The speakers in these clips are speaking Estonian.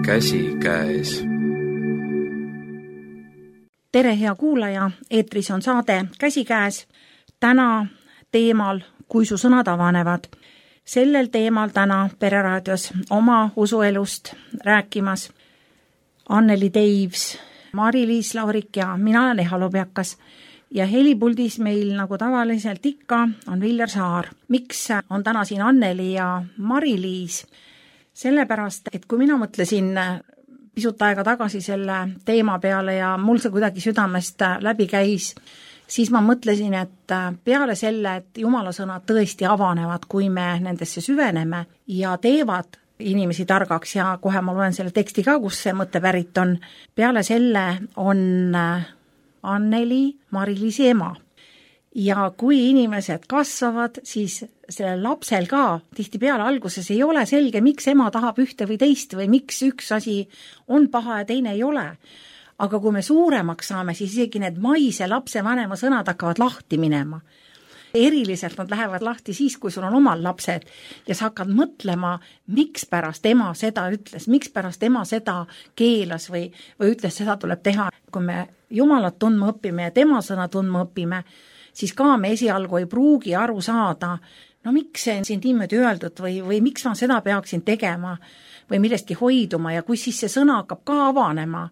Käsikäes. Tere, hea kuulaja, eetris on saade Käsikäes. Täna teemal, kui su sõnad avanevad. Sellel teemal täna Pereraadios oma usuelust rääkimas Anneli Teivs, Mari-Liis Laurik ja mina olen Eha Lobjakas. Ja helipuldis meil nagu tavaliselt ikka on Viljar Saar. Miks on täna siin Anneli ja Mari-Liis? Sellepärast, et kui mina mõtlesin pisut aega tagasi selle teema peale ja mul see kuidagi südamest läbi käis, siis ma mõtlesin, et peale selle, et Jumala sõnad tõesti avanevad, kui me nendesse süveneme ja teevad inimesi targaks ja kohe ma loen selle teksti ka, kus see mõte pärit on. Peale selle on Anneli Mari-Liisi ema. Ja kui inimesed kasvavad, siis sellel lapsel ka tihtipeale alguses ei ole selge, miks ema tahab ühte või teist või miks üks asi on paha ja teine ei ole. Aga kui me suuremaks saame, siis isegi need maise lapse vanema sõnad hakkavad lahti minema. Eriliselt nad lähevad lahti siis, kui sul on omal lapsed ja sa hakkad mõtlema, miks pärast ema seda ütles, miks pärast ema seda keelas või ütles, seda tuleb teha. Kui me Jumalat tundma õpime ja tema sõna tundma õpime, siis ka me esialgu ei pruugi aru saada, no miks see on siin niimoodi öeldud või miks ma seda peaksin tegema või millestki hoiduma ja kui siis see sõna hakkab ka avanema,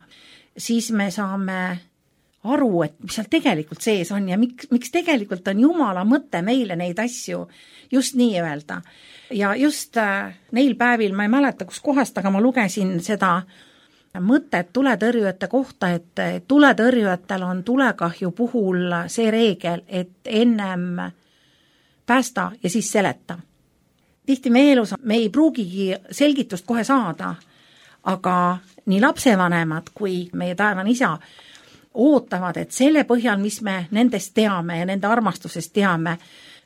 siis me saame aru, et mis seal tegelikult sees on ja miks tegelikult on Jumala mõte meile neid asju just nii öelda. Ja just neil päevil, ma ei mäleta kus kohast, aga ma lugesin seda mõtet tuletõrjujate kohta, et tuletõrjujatel on tulekahju puhul see reegel, et ennem päästa ja siis seleta. Tihti meie elus me ei pruugigi selgitust kohe saada, aga nii lapsevanemad kui meie taevane isa ootavad, et selle põhjal, mis me nendest teame ja nende armastusest teame,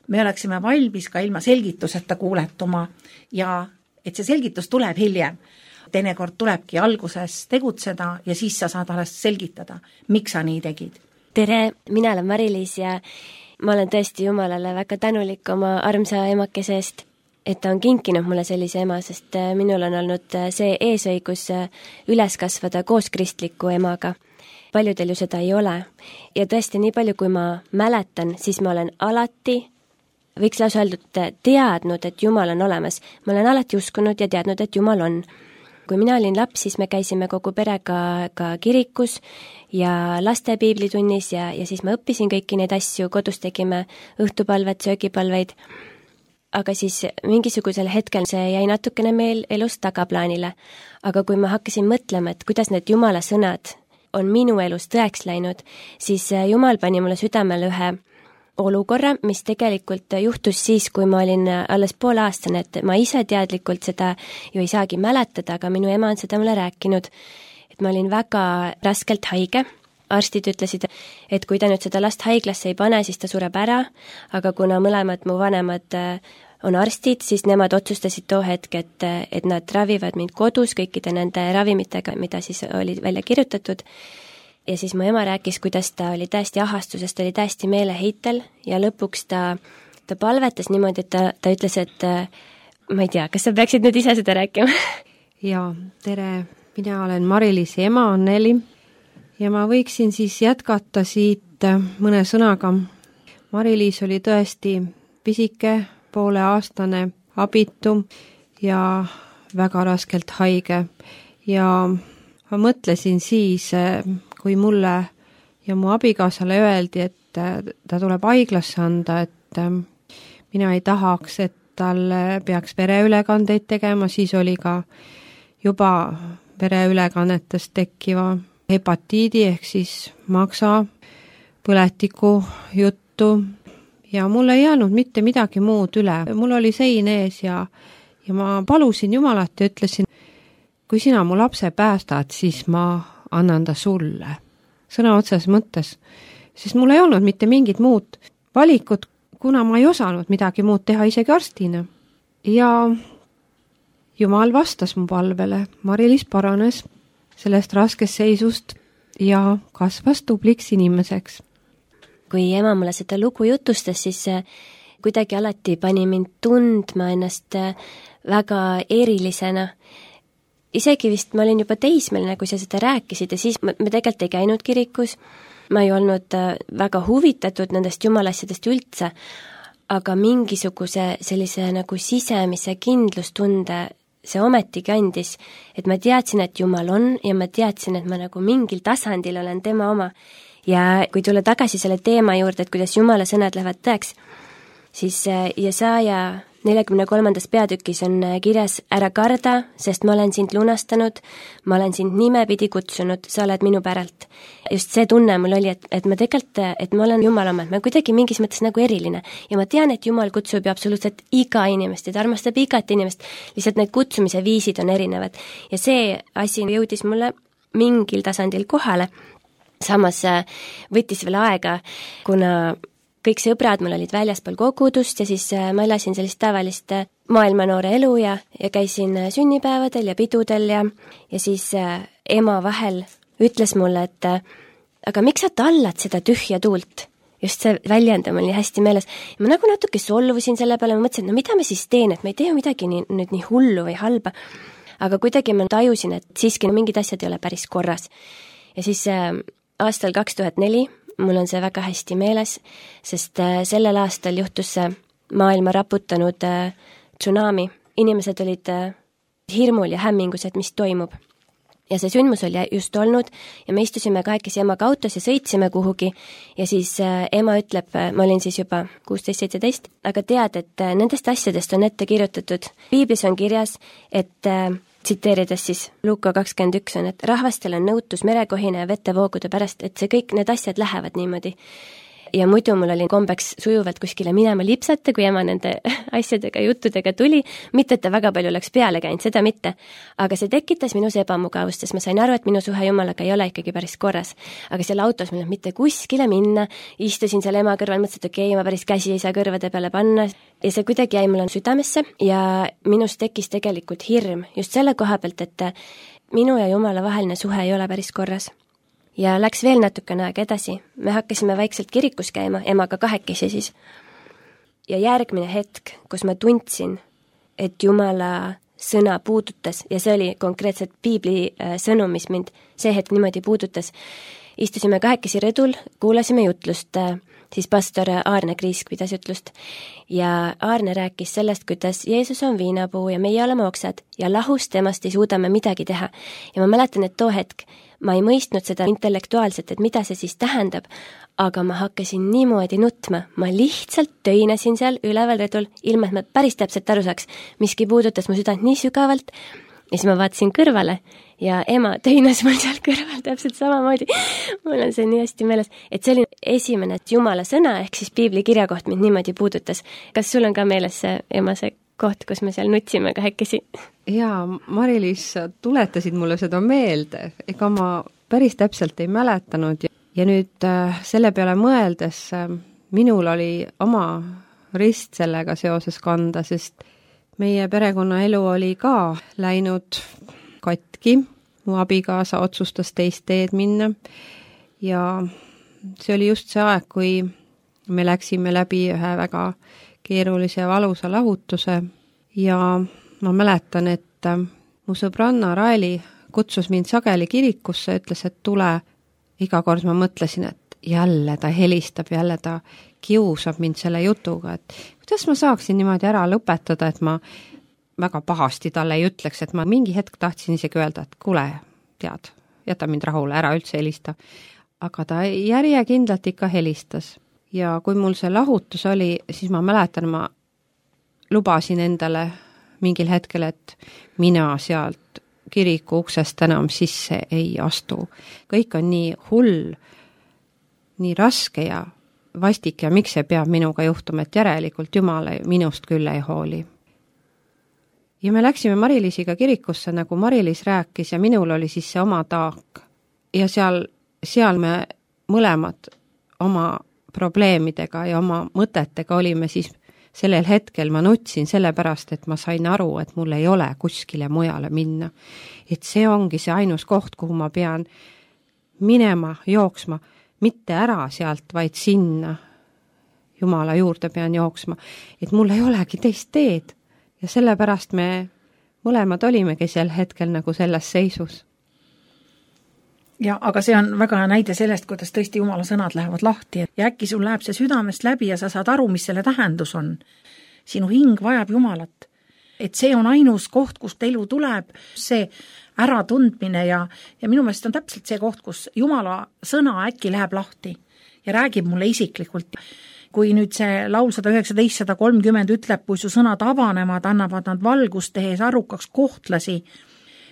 me oleksime valmis ka ilma selgituseta kuuletuma ja et see selgitus tuleb hiljem. Teinekord tulebki alguses tegutseda ja siis sa saad alles selgitada, miks sa nii tegid. Tere, mina olen Mari-Liis ja ma olen tõesti Jumalale väga tänulik oma armsa emakese eest, et ta on kinkinud mulle sellise ema, sest minul on olnud see eesõigus üles kasvada koos kristliku emaga. Paljudel ju seda ei ole. Ja tõesti nii palju, kui ma mäletan, siis ma olen alati, võiks lausa öeldud, teadnud, et Jumal on olemas. Ma olen alati uskunud ja teadnud, et Jumal on. Kui mina olin laps, siis me käisime kogu perega ka kirikus ja laste piiblitunnis ja siis ma õppisin kõiki neid asju, kodus tegime õhtupalvet, söögipalveid, aga siis mingisugusel hetkel see jäi natukene meil elus tagaplaanile. Aga kui ma hakkasin mõtlema, et kuidas need Jumala sõnad on minu elus tõeks läinud, siis Jumal pani mulle südamele ühe olukorra, mis tegelikult juhtus siis, kui ma olin alles poolaastane, et ma ise teadlikult seda ju ei saagi mäletada, aga minu ema on seda mulle rääkinud, et ma olin väga raskelt haige. Arstid ütlesid, et kui ta nüüd seda last haiglasse ei pane, siis ta sureb ära, aga kuna mõlemad mu vanemad on arstid, siis nemad otsustasid too hetk, et nad ravivad mind kodus kõikide nende ravimitega, mida siis oli välja kirjutatud. Ja siis mu ema rääkis, kuidas ta oli täiesti ahastusest, ta oli täiesti meeleheitel ja lõpuks ta palvetas niimoodi, et ta ütles, et ma ei tea, kas sa peaksid nüüd ise seda rääkima? Ja, tere, mina olen Mari-Liisi ema Anneli ja ma võiksin siis jätkata siit mõne sõnaga. Mari-Liis oli tõesti pisike, pooleaastane, abitu ja väga raskelt haige ja ma mõtlesin siis, kui mulle ja mu abikaasale öeldi, et ta tuleb haiglasse anda, et mina ei tahaks, et tal peaks vereülekandeid tegema, siis oli ka juba vereülekannetest tekkiva hepatiidi ehk siis maksa põletiku juttu ja mul ei jäänud mitte midagi muud üle. Mul oli sein ees ja ma palusin Jumalat ja ütlesin, kui sina mu lapse päästad, siis ma annan ta sulle. Sõna otses mõttes. Sest mul ei olnud mitte mingit muud valikut, kuna ma ei osanud midagi muud teha isegi arstina. Ja Jumal vastas mu palvele. Mari-Liis paranes sellest raskest seisust ja kasvas tubliks inimeseks. Kui ema mulle seda lugu jutustas, siis kuidagi alati pani mind tundma ennast väga erilisena. isegi vist ma olin juba teismeline, kui sa seda rääkisid ja siis me tegelikult ei käinud kirikus, ma ei olnud väga huvitatud nendest jumalasjadest üldse, aga mingisuguse sellise nagu sisemise kindlustunde see ometigi andis, et ma teadsin, et Jumal on ja ma teadsin, et ma nagu mingil tasandil olen tema oma. Ja kui tulla tagasi selle teema juurde, et kuidas Jumala sõnad lähevad tõeks, siis Jesaja 43. peatükis on kirjas: ära karda, sest ma olen sind lunastanud, ma olen sind nimepidi kutsunud, sa oled minu päralt. Just see tunne mul oli, et ma tegelikult, et ma olen Jumala oma, et ma kuidagi mingis mõttes nagu eriline. Ja ma tean, et Jumal kutsub ju absoluutselt iga inimest ja ta armastab igat inimest, lihtsalt need kutsumise viisid on erinevad. Ja see asi jõudis mulle mingil tasandil kohale. Samas võttis veel aega, kuna kõik sõbrad mul olid väljaspool kogudust ja siis ma elasin sellist tavalist maailmanoore elu ja käisin sünnipäevadel ja pidudel ja siis ema vahel ütles mulle, et aga miks sa tallad seda tühja tuult? Just see väljend on mul nii hästi meeles. Ja ma nagu natuke solvusin selle peale, ma mõtlesin, et no mida ma siis teen, et ma ei tee midagi nüüd nii hullu või halba. Aga kuidagi ma tajusin, et siiski mingid asjad ei ole päris korras. Ja siis aastal 2004 mul on see väga hästi meeles, sest sellel aastal juhtus see maailma raputanud tsunami. Inimesed olid hirmul ja hämmingus, et mis toimub. Ja see sündmus oli just olnud ja me istusime kahekesi emaga autos ja sõitsime kuhugi ja siis ema ütleb, ma olin siis juba 16-17, aga tead, et nendest asjadest on ette kirjutatud. Piiblis on kirjas, et tsiteerides siis Luuka 21 on, et rahvastel on nõutus merekohine ja vetevoogude pärast, et see kõik need asjad lähevad niimoodi. Ja muidu mul oli kombeks sujuvalt kuskile minema lipsata, kui ema nende asjadega, juttudega tuli, mitte et ta väga palju oleks peale käinud, seda mitte. Aga see tekitas minus ebamugavust, sest ma sain aru, et minu suhe Jumalaga ei ole ikkagi päris korras. Aga selle autos mul mitte kuskile minna, istusin seal ema kõrval, mõtlesin, et okei, ma päris käsi ei saa kõrvade peale panna. Ja see kuidagi jäi mul südamesse ja minus tekkis tegelikult hirm just selle koha pealt, et minu ja Jumala vaheline suhe ei ole päris korras. Ja läks veel natukene aeg edasi. Me hakkasime vaikselt kirikus käima, emaga kahekesi siis. Ja järgmine hetk, kus ma tundsin, et Jumala sõna puudutas, ja see oli konkreetselt Piibli sõnum, mis mind see hetk niimoodi puudutas. Istusime kahekesi rõdul, kuulasime jutlust, siis pastor Aarne Kriisk pidas jutlust. Ja Aarne rääkis sellest, kuidas Jeesus on viinapuu ja meie oleme oksad ja lahus temast ei suuda me midagi teha. Ja ma mäletan, et too hetk ma ei mõistnud seda intellektuaalselt, et mida see siis tähendab, aga ma hakkasin niimoodi nutma. Ma lihtsalt töinesin seal üleval rõdul, ilma et ma päris täpselt aru saaks, miski puudutas mu südant nii sügavalt. Ja siis ma vaatasin kõrvale ja ema töinas mul seal kõrval täpselt samamoodi. Mul on see nii hästi meeles, et see oli esimene Jumala sõna ehk siis Piibli kirjakoht mind niimoodi puudutas. Kas sul on ka meeles see ema see koht, kus me seal nutsime kahekesi? Jaa, Mari-Liis, tuletasid mulle seda meelde, ega ma päris täpselt ei mäletanud ja nüüd selle peale mõeldes minul oli oma rist sellega seoses kanda, sest meie perekonnaelu oli ka läinud katki, mu abikaasa otsustas teist teed minna ja see oli just see aeg, kui me läksime läbi ühe väga keerulise ja valusa lahutuse ja ma mäletan, et mu sõbranna Raeli kutsus mind sageli kirikusse, ütles, et tule. Iga kord ma mõtlesin, et jälle ta helistab, jälle ta kiusab mind selle jutuga, et kuidas ma saaksin niimoodi ära lõpetada, et ma väga pahasti talle ei ütleks, et ma mingi hetk tahtsin isegi öelda, et kuule, tead, jäta mind rahule, ära üldse helista. Aga ta järjekindlalt ikka helistas. Ja kui mul see lahutus oli, siis ma mäletan, ma lubasin endale mingil hetkel, et mina sealt kiriku uksest enam sisse ei astu. Kõik on nii hull, nii raske ja vastik ja miks see peab minuga juhtuma, et järelikult Jumal minust küll ei hooli. Ja me läksime Mari-Liisiga kirikusse, nagu Mari-Liis rääkis ja minul oli siis see oma taak. Ja seal me mõlemad oma probleemidega ja oma mõtetega olime siis sellel hetkel ma nutsin sellepärast, et ma sain aru, et mul ei ole kuskile mujale minna. Et see ongi see ainus koht, kuhu ma pean minema, jooksma, mitte ära sealt, vaid sinna Jumala juurde pean jooksma. Et mul ei olegi teist teed ja sellepärast me mõlemad olimegi sel hetkel nagu selles seisus. Ja, aga see on väga hea näide sellest, kuidas tõesti Jumala sõnad lähevad lahti ja äkki sul läheb see südamest läbi ja sa saad aru, mis selle tähendus on. Sinu hing vajab Jumalat. Et see on ainus koht, kust elu tuleb, see äratundmine ja minu meelest on täpselt see koht, kus Jumala sõna äkki läheb lahti ja räägib mulle isiklikult. Kui nüüd see laul 119-130 ütleb, kui su sõnad avanevad, annavad nad valgust tehes arukaks kohtlasi,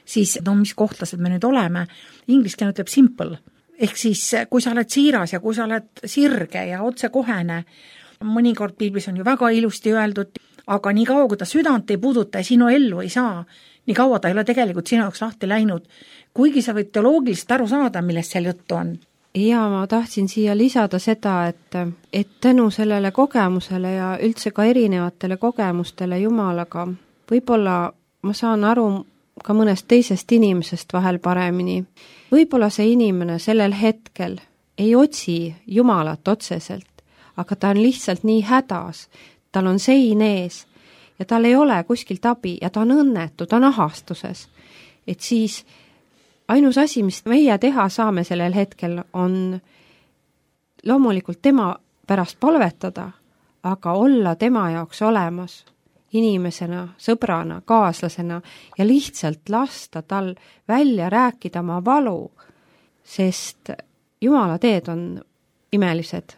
siis mis kohtlased me nüüd oleme? Ingliskeene ütleb simple. Ehk siis, kui sa oled siiras ja kui sa oled sirge ja otsekohene, mõnikord piiblis on ju väga ilusti öeldud, aga nii kaua, kui ta südant ei puuduta ja sinu ellu ei saa, nii kaua ta ei ole tegelikult sinu jaoks lahti läinud, kuigi sa võid teoloogiliselt aru saada, millest seal juttu on. Ja ma tahtsin siia lisada seda, et tänu sellele kogemusele ja üldse ka erinevatele kogemustele Jumalaga, võib-olla ma saan aru ka mõnest teisest inimesest vahel paremini. Võib-olla see inimene sellel hetkel ei otsi Jumalat otseselt, aga ta on lihtsalt nii hädas, tal on sein ees ja tal ei ole kuskilt abi ja ta on õnnetu, ta on ahastuses. Et siis ainus asi, mis meie teha saame sellel hetkel, on loomulikult tema pärast palvetada, aga olla tema jaoks olemas inimesena, sõbrana, kaaslasena ja lihtsalt lasta tal välja rääkida oma valu, sest Jumala teed on imelised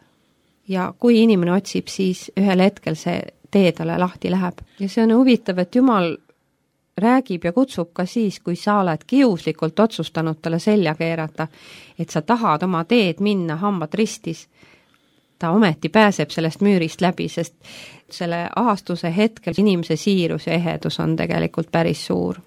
ja kui inimene otsib, siis ühel hetkel see tee talle lahti läheb. Ja see on huvitav, et Jumal räägib ja kutsub ka siis, kui sa oled kiuslikult otsustanud talle selja keerata, et sa tahad oma teed minna hambad ristis. Ta ometi pääseb sellest müürist läbi, sest selle ahastuse hetkel inimese siirus ja ehedus on tegelikult päris suur.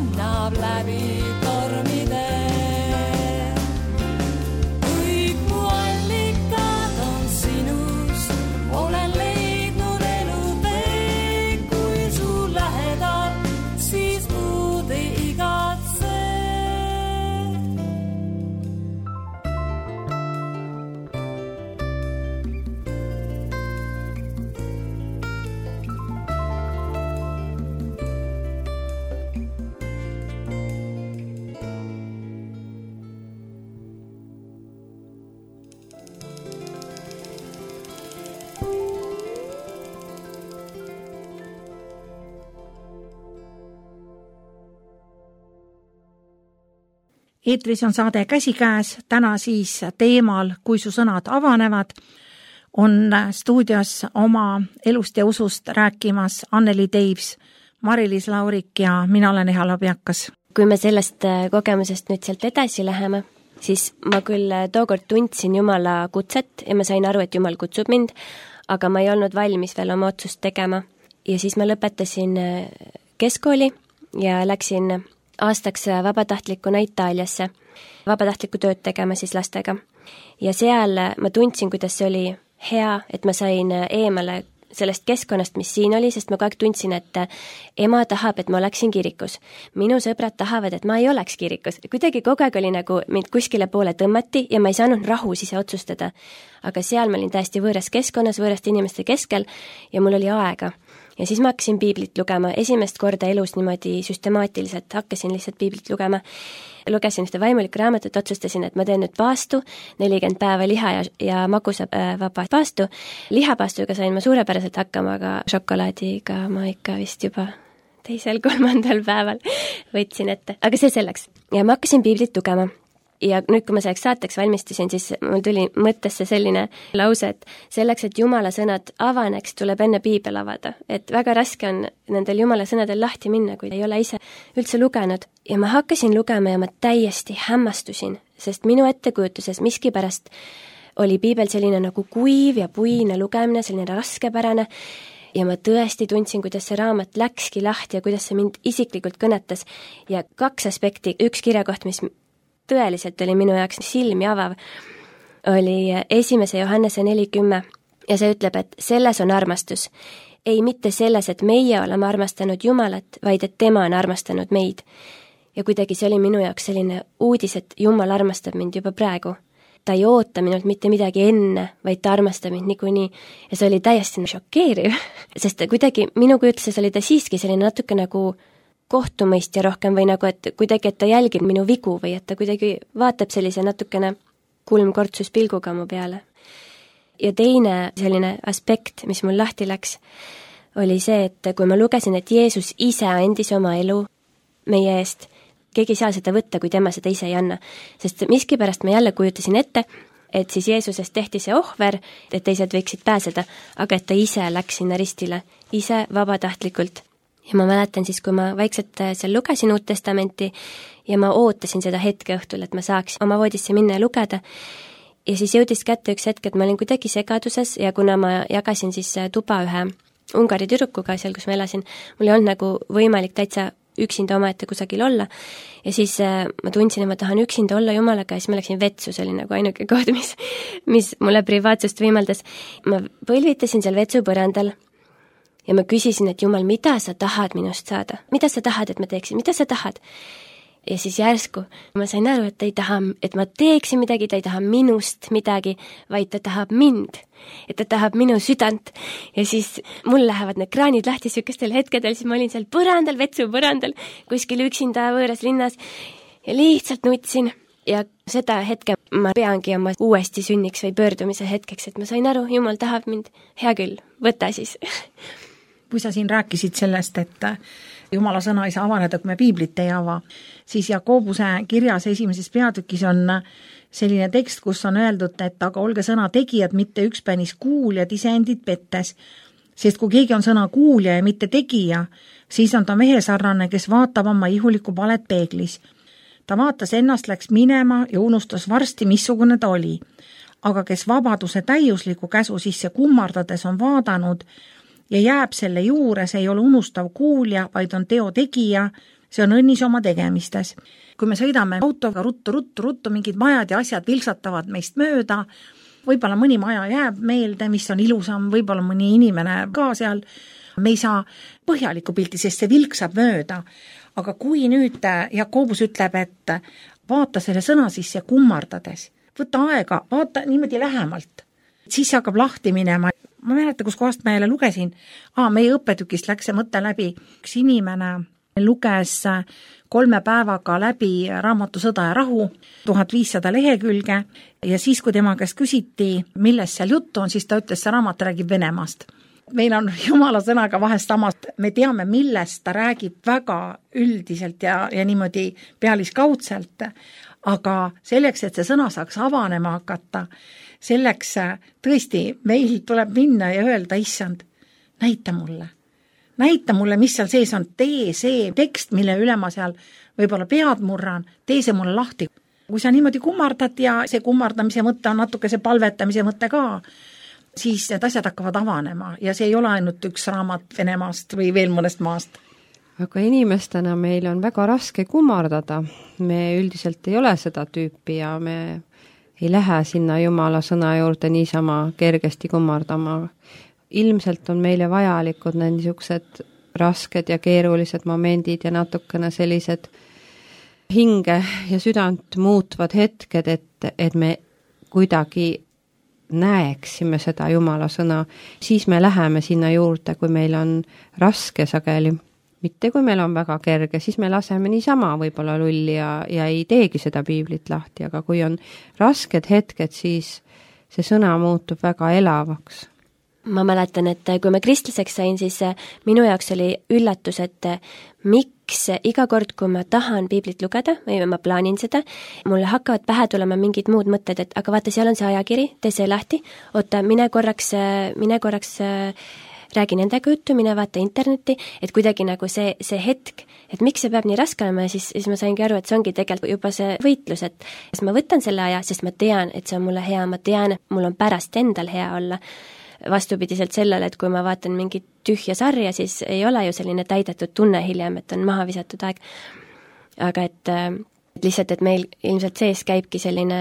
lennab läbi tormide. Kõik mu allikad on sinus, olen leidnud elutee, kui su lähedal, siis muud ei igatse. Eetris on saade Käsikäes, täna siis teemal Kui su sõnad avanevad, on stuudios oma elust ja usust rääkimas Anneli Teivs, Mari-Liis Laurik ja mina olen Eha Labjakas. Kui me sellest kogemusest nüüd sealt edasi läheme, siis ma küll tookord tundsin Jumala kutset ja ma sain aru, et Jumal kutsub mind, aga ma ei olnud valmis veel oma otsust tegema. Ja siis ma lõpetasin keskkooli ja läksin aastaks vabatahtlikuna Itaaliasse, vabatahtlikku tööd tegema siis lastega. Ja seal ma tundsin, kuidas see oli hea, et ma sain eemale sellest keskkonnast, mis siin oli, sest ma kogu aeg tundsin, et ema tahab, et ma oleksin kirikus. Minu sõbrad tahavad, et ma ei oleks kirikus. Kuidagi kogu aeg oli nagu mind kuskile poole tõmmati ja ma ei saanud rahus ise otsustada. Aga seal ma olin täiesti võõras keskkonnas, võõraste inimeste keskel ja mul oli aega. Ja siis ma hakkasin piiblit lugema, esimest korda elus niimoodi süstemaatiliselt, hakkasin lihtsalt piiblit lugema. Lugesin ühte vaimulikku raamatut, otsustasin, et ma teen nüüd paastu, 40 päeva liha ja magusa vaba paastu. Lihapaastuga sain ma suurepäraselt hakkama, aga šokolaadiga ma ikka vist juba 2.-3. päeval võtsin ette. Aga see selleks. Ja ma hakkasin piiblit lugema. Ja nüüd, kui ma selleks saateks valmistusin, siis mul tuli mõttesse selline lause, et selleks, et Jumala sõnad avaneks, tuleb enne piibel avada. Et väga raske on nendel Jumala sõnadel lahti minna, kui ei ole ise üldse lugenud. Ja ma hakkasin lugema ja ma täiesti hämmastusin, sest minu ettekujutuses miskipärast oli piibel selline nagu kuiv ja puine lugemine, selline raskepärane. Ja ma tõesti tundsin, kuidas see raamat läkski lahti ja kuidas see mind isiklikult kõnetas. Ja 2 aspekti, üks kirjakoht, mis tõeliselt oli minu jaoks silmi avav, oli 1. Johannese 4:10 ja see ütleb, et selles on armastus. Ei mitte selles, et meie oleme armastanud Jumalat, vaid et tema on armastanud meid. Ja kuidagi see oli minu jaoks selline uudis, et Jumal armastab mind juba praegu. Ta ei oota minult mitte midagi enne, vaid ta armastab mind niikuinii. Ja see oli täiesti šokeeriv, sest kuidagi minu kujutluses oli ta siiski selline natuke nagu kohtumõistja rohkem või nagu, et kuidagi, et ta jälgib minu vigu või et ta kuidagi vaatab sellise natukene kulmkortsus pilguga mu peale. Ja teine selline aspekt, mis mul lahti läks, oli see, et kui ma lugesin, et Jeesus ise andis oma elu meie eest, keegi ei saa seda võtta, kui tema seda ise ei anna. Sest miskipärast ma jälle kujutasin ette, et siis Jeesusest tehti see ohver, et teised võiksid pääseda, aga et ta ise läks sinna ristile, ise vabatahtlikult. Ja ma mäletan siis, kui ma vaikselt seal lugesin Uut Testamenti ja ma ootasin seda hetke õhtul, et ma saaks oma voodisse minna ja lugeda. Ja siis jõudis kätte üks hetk, et ma olin kuidagi segaduses ja kuna ma jagasin siis tuba ühe Ungari tüdrukuga seal, kus ma elasin, mul ei olnud nagu võimalik täitsa üksinda omaette kusagil olla. Ja siis ma tundsin, et ma tahan üksinda olla Jumalaga ja siis ma läksin vetsu, see oli nagu ainuke koht, mis mulle privaatsust võimaldas. Ma põlvitasin seal vetsu põrandal. Ja ma küsisin, et Jumal, mida sa tahad minust saada? Mida sa tahad, et ma teeksin? Mida sa tahad? Ja siis järsku ma sain aru, et ta ei taha, et ma teeksin midagi, ta ei taha minust midagi, vaid ta tahab mind. Et ta tahab minu südant. Ja siis mul lähevad need kraanid lahti sükestel hetkedel, siis ma olin seal põrandal, vetsu põrandal, kuskil üksinda võõras linnas ja lihtsalt nutsin. Ja seda hetke ma peangi oma uuesti sünniks või pöördumise hetkeks, et ma sain aru, Jumal tahab mind. Hea küll, võta siis. Kui sa siin rääkisid sellest, et Jumala sõna ei saa avaneda, kui me piiblit ei ava, siis Jakobuse kirjas 1. peatükis on selline tekst, kus on öeldud, et aga olge sõna tegijad, mitte ükspänis kuuljad iseendid pettes. Sest kui keegi on sõna kuulja ja mitte tegija, siis on ta mehesarnane, kes vaatab oma ihulikku palet peeglis. Ta vaatas ennast, läks minema ja unustas varsti, missugune ta oli. Aga kes vabaduse täiusliku käsu sisse kummardades on vaadanud ja jääb selle juures, ei ole unustav kuulja, vaid on teo tegija, see on õnnis oma tegemistes. Kui me sõidame autoga ruttu, mingid majad ja asjad vilksatavad meist mööda, võib-olla mõni maja jääb meelde, mis on ilusam, võib-olla mõni inimene ka seal, me ei saa põhjalikku pilti, sest see vilksab mööda. Aga kui nüüd Jakobus ütleb, et vaata selle sõna sisse kummardades, võta aega, vaata niimoodi lähemalt, siis hakkab lahti minema. Ma mäletan, kus kohast ma jälle lugesin, meie õppetükist läks see mõte läbi, üks inimene luges 3 päevaga läbi raamatu Sõda ja rahu, 1500 lehekülge ja siis, kui tema käest küsiti, millest seal juttu on, siis ta ütles, see raamat räägib Venemaast. Meil on Jumala sõnaga vahest samast, me teame, millest ta räägib väga üldiselt ja niimoodi pealiskaudselt, aga selleks, et see sõna saaks avanema hakata, selleks tõesti meil tuleb minna ja öelda, issand, näita mulle, mis seal sees on, tee see tekst, mille üle ma seal võib-olla pead murran, tee see mulle lahti. Kui sa niimoodi kummardad ja see kummardamise mõte on natuke see palvetamise mõte ka, siis need asjad hakkavad avanema ja see ei ole ainult üks raamat Venemaast või veel mõnest maast. Aga inimestena meil on väga raske kummardada. Me üldiselt ei ole seda tüüpi ja me ei lähe sinna Jumala sõna juurde niisama kergesti kummardama. Ilmselt on meile vajalikud need niisugused rasked ja keerulised momendid ja natukene sellised hinge ja südant muutvad hetked, et me kuidagi näeksime seda Jumala sõna, siis me läheme sinna juurde, kui meil on raske sageli. Mitte kui meil on väga kerge, siis me laseme niisama võib-olla lulli ja ei teegi seda piiblit lahti, aga kui on rasked hetked, siis see sõna muutub väga elavaks. Ma mäletan, et kui ma kristlaseks sain, siis minu jaoks oli üllatus, et miks iga kord, kui ma tahan piiblit lugeda või ma plaanin seda, mulle hakkavad pähe tulema mingid muud mõtted, et aga vaata, seal on see ajakiri, tee see lahti, oota, mine korraks räägi nendega juttu, mine vaata internetti, et kuidagi nagu see hetk, et miks see peab nii raske olema ja siis ma saingi aru, et see ongi tegelikult juba see võitlus, et ma võtan selle aja, sest ma tean, et see on mulle hea, ma tean, et mul on pärast endal hea olla. Vastupidiselt sellele, et kui ma vaatan mingit tühja sarja, siis ei ole ju selline täidetud tunne hiljem, et on maha visatud aeg. Aga et lihtsalt, et meil ilmselt sees käibki selline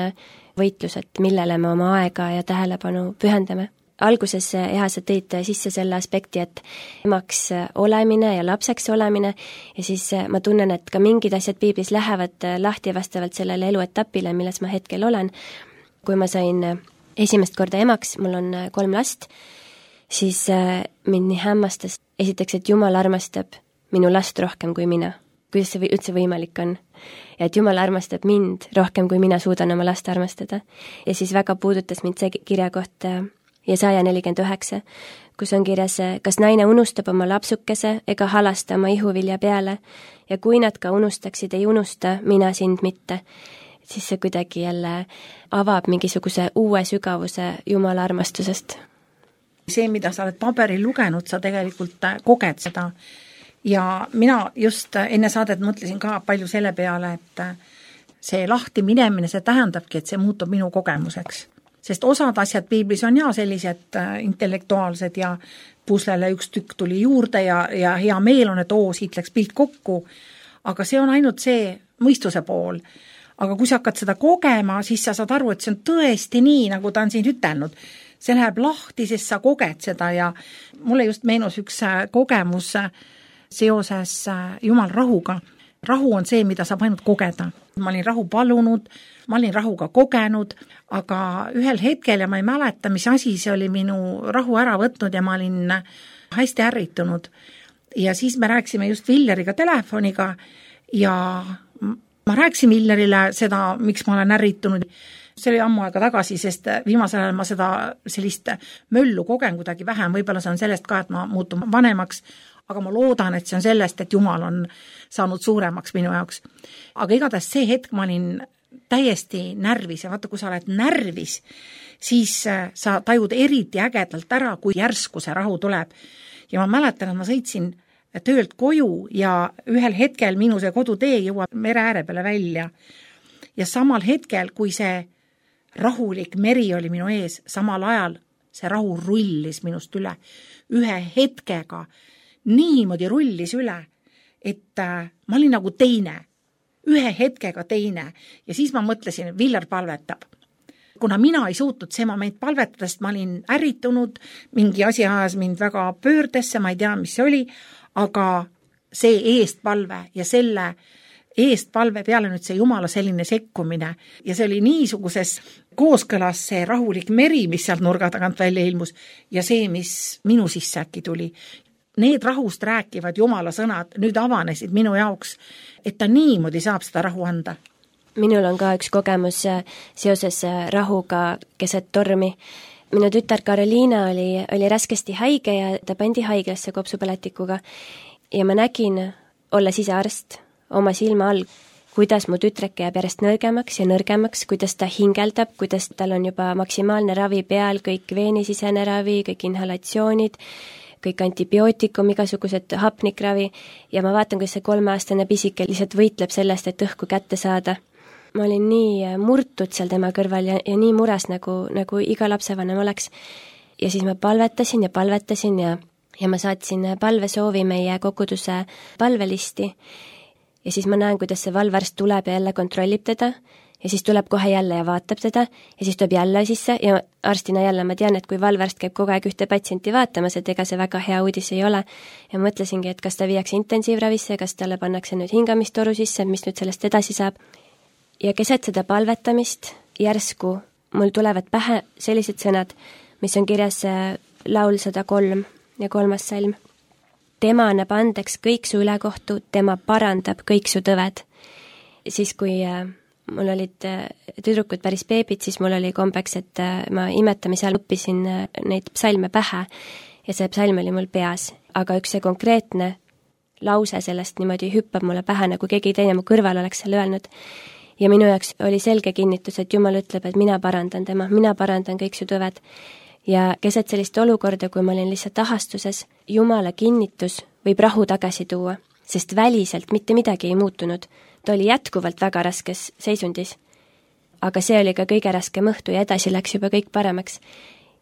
võitlus, et millele me oma aega ja tähelepanu pühendame. Alguses sa tõid sisse selle aspekti, et emaks olemine ja lapseks olemine ja siis ma tunnen, et ka mingid asjad piiblis lähevad lahti vastavalt sellele eluetapile, milles ma hetkel olen. Kui ma sain esimest korda emaks, mul on 3 last, siis mind nii hämmastas esiteks, et Jumal armastab minu last rohkem kui mina. Kuidas see üldse võimalik on? Ja et Jumal armastab mind rohkem kui mina suudan oma last armastada. Ja siis väga puudutas mind see kirjakoht Jesaja 49, kus on kirjas, kas naine unustab oma lapsukese ega halasta oma ihuvilja peale ja kui nad ka unustaksid, ei unusta mina sind mitte. Siis see kuidagi jälle avab mingisuguse uue sügavuse Jumala armastusest. See, mida sa oled paberil lugenud, sa tegelikult koged seda. Ja mina just enne saadet mõtlesin ka palju selle peale, et see lahti minemine, see tähendabki, et see muutub minu kogemuseks. Sest osad asjad piiblis on sellised intellektuaalsed ja puslele üks tükk tuli juurde ja hea meel on, et siit läks pilt kokku, aga see on ainult see mõistuse pool. Aga kui sa hakkad seda kogema, siis sa saad aru, et see on tõesti nii, nagu ta on siin ütelnud. See läheb lahti, sest sa koged seda ja mulle just meenus üks kogemus seoses Jumal rahuga. Rahu on see, mida saab ainult kogeda. Ma olin rahu palunud, ma olin rahuga kogenud, aga ühel hetkel ja ma ei mäleta, mis asi see oli minu rahu ära võtnud ja ma olin hästi ärritunud. Ja siis me rääkisime just Villeriga telefoniga ja ma rääkisin Villerile seda, miks ma olen ärritunud. See oli ammu aega tagasi, sest viimasel ajal ma seda sellist möllu kogen kuidagi vähem, võib-olla see on sellest ka, et ma muutun vanemaks, aga ma loodan, et see on sellest, et Jumal on saanud suuremaks minu jaoks. Aga igatahes see hetk ma olin täiesti närvis ja vaata, kui sa oled närvis, siis sa tajud eriti ägedalt ära, kui järsku see rahu tuleb. Ja ma mäletan, et ma sõitsin töölt koju ja ühel hetkel minu see kodutee jõuab mere ääre peale välja. Ja samal hetkel, kui see rahulik meri oli minu ees, samal ajal see rahu rullis minust üle. Ühe hetkega niimoodi rullis üle, et ma olin nagu teine, ühe hetkega teine ja siis ma mõtlesin, et Villar palvetab. Kuna mina ei suutnud see moment palvetada, sest ma olin ärritunud, mingi asi ajas mind väga pöördesse, ma ei tea, mis see oli, aga see eestpalve ja selle eestpalve peale nüüd see Jumala selline sekkumine ja see oli niisuguses kooskõlas see rahulik meri, mis sealt nurga tagant välja ilmus ja see, mis minu sisse äkki tuli. Need rahust rääkivad Jumala sõnad nüüd avanesid minu jaoks, et ta niimoodi saab seda rahu anda. Minul on ka üks kogemus seoses rahuga keset tormi. Minu tütar Karoliina oli raskesti haige ja ta pandi haiglasse kopsupõletikuga ja ma nägin, olles ise arst, oma silma all, kuidas mu tütreke jääb järjest nõrgemaks ja nõrgemaks, kuidas ta hingeldab, kuidas tal on juba maksimaalne ravi peal, kõik veenisisene ravi, kõik inhalatsioonid, kõik antibiootikum, igasugused hapnikravi ja ma vaatan, kuidas see 3-aastane pisike lihtsalt võitleb sellest, et õhku kätte saada. Ma olin nii murtud seal tema kõrval ja nii mures, nagu iga lapsevanem oleks. Ja siis ma palvetasin ja ma saatsin palvesoovi meie koguduse palvelisti. Ja siis ma näen, kuidas see valvarst tuleb ja jälle kontrollib teda ja siis tuleb kohe jälle ja vaatab teda ja siis tuleb jälle sisse ja arstina jälle ma tean, et kui valvarst käib kogu aeg ühte patsienti vaatamas, et ega see väga hea uudis ei ole. Ja mõtlesingi, et kas ta viiakse intensiivravisse, kas talle pannakse nüüd hingamistoru sisse, mis nüüd sellest edasi saab. Ja keset seda palvetamist järsku mul tulevad pähe sellised sõnad, mis on kirjas laul 103 ja 3. salm. Tema annab andeks kõik su ülekohtu, tema parandab kõik su tõved. Siis kui mul olid tüdrukud päris beebid, siis mul oli kombeks, et ma imetamise all õppisin neid psalme pähe ja see psalm oli mul peas. Aga üks see konkreetne lause sellest niimoodi hüppab mulle pähe, nagu keegi teine mu kõrval oleks selle öelnud. Ja minu jaoks oli selge kinnitus, et Jumal ütleb, et mina parandan tema, mina parandan kõik su tõved. Ja keset sellist olukorda, kui ma olin lihtsalt ahastuses, Jumala kinnitus võib rahu tagasi tuua, sest väliselt mitte midagi ei muutunud. Ta oli jätkuvalt väga raskes seisundis. Aga see oli ka kõige raskem õhtu ja edasi läks juba kõik paremaks.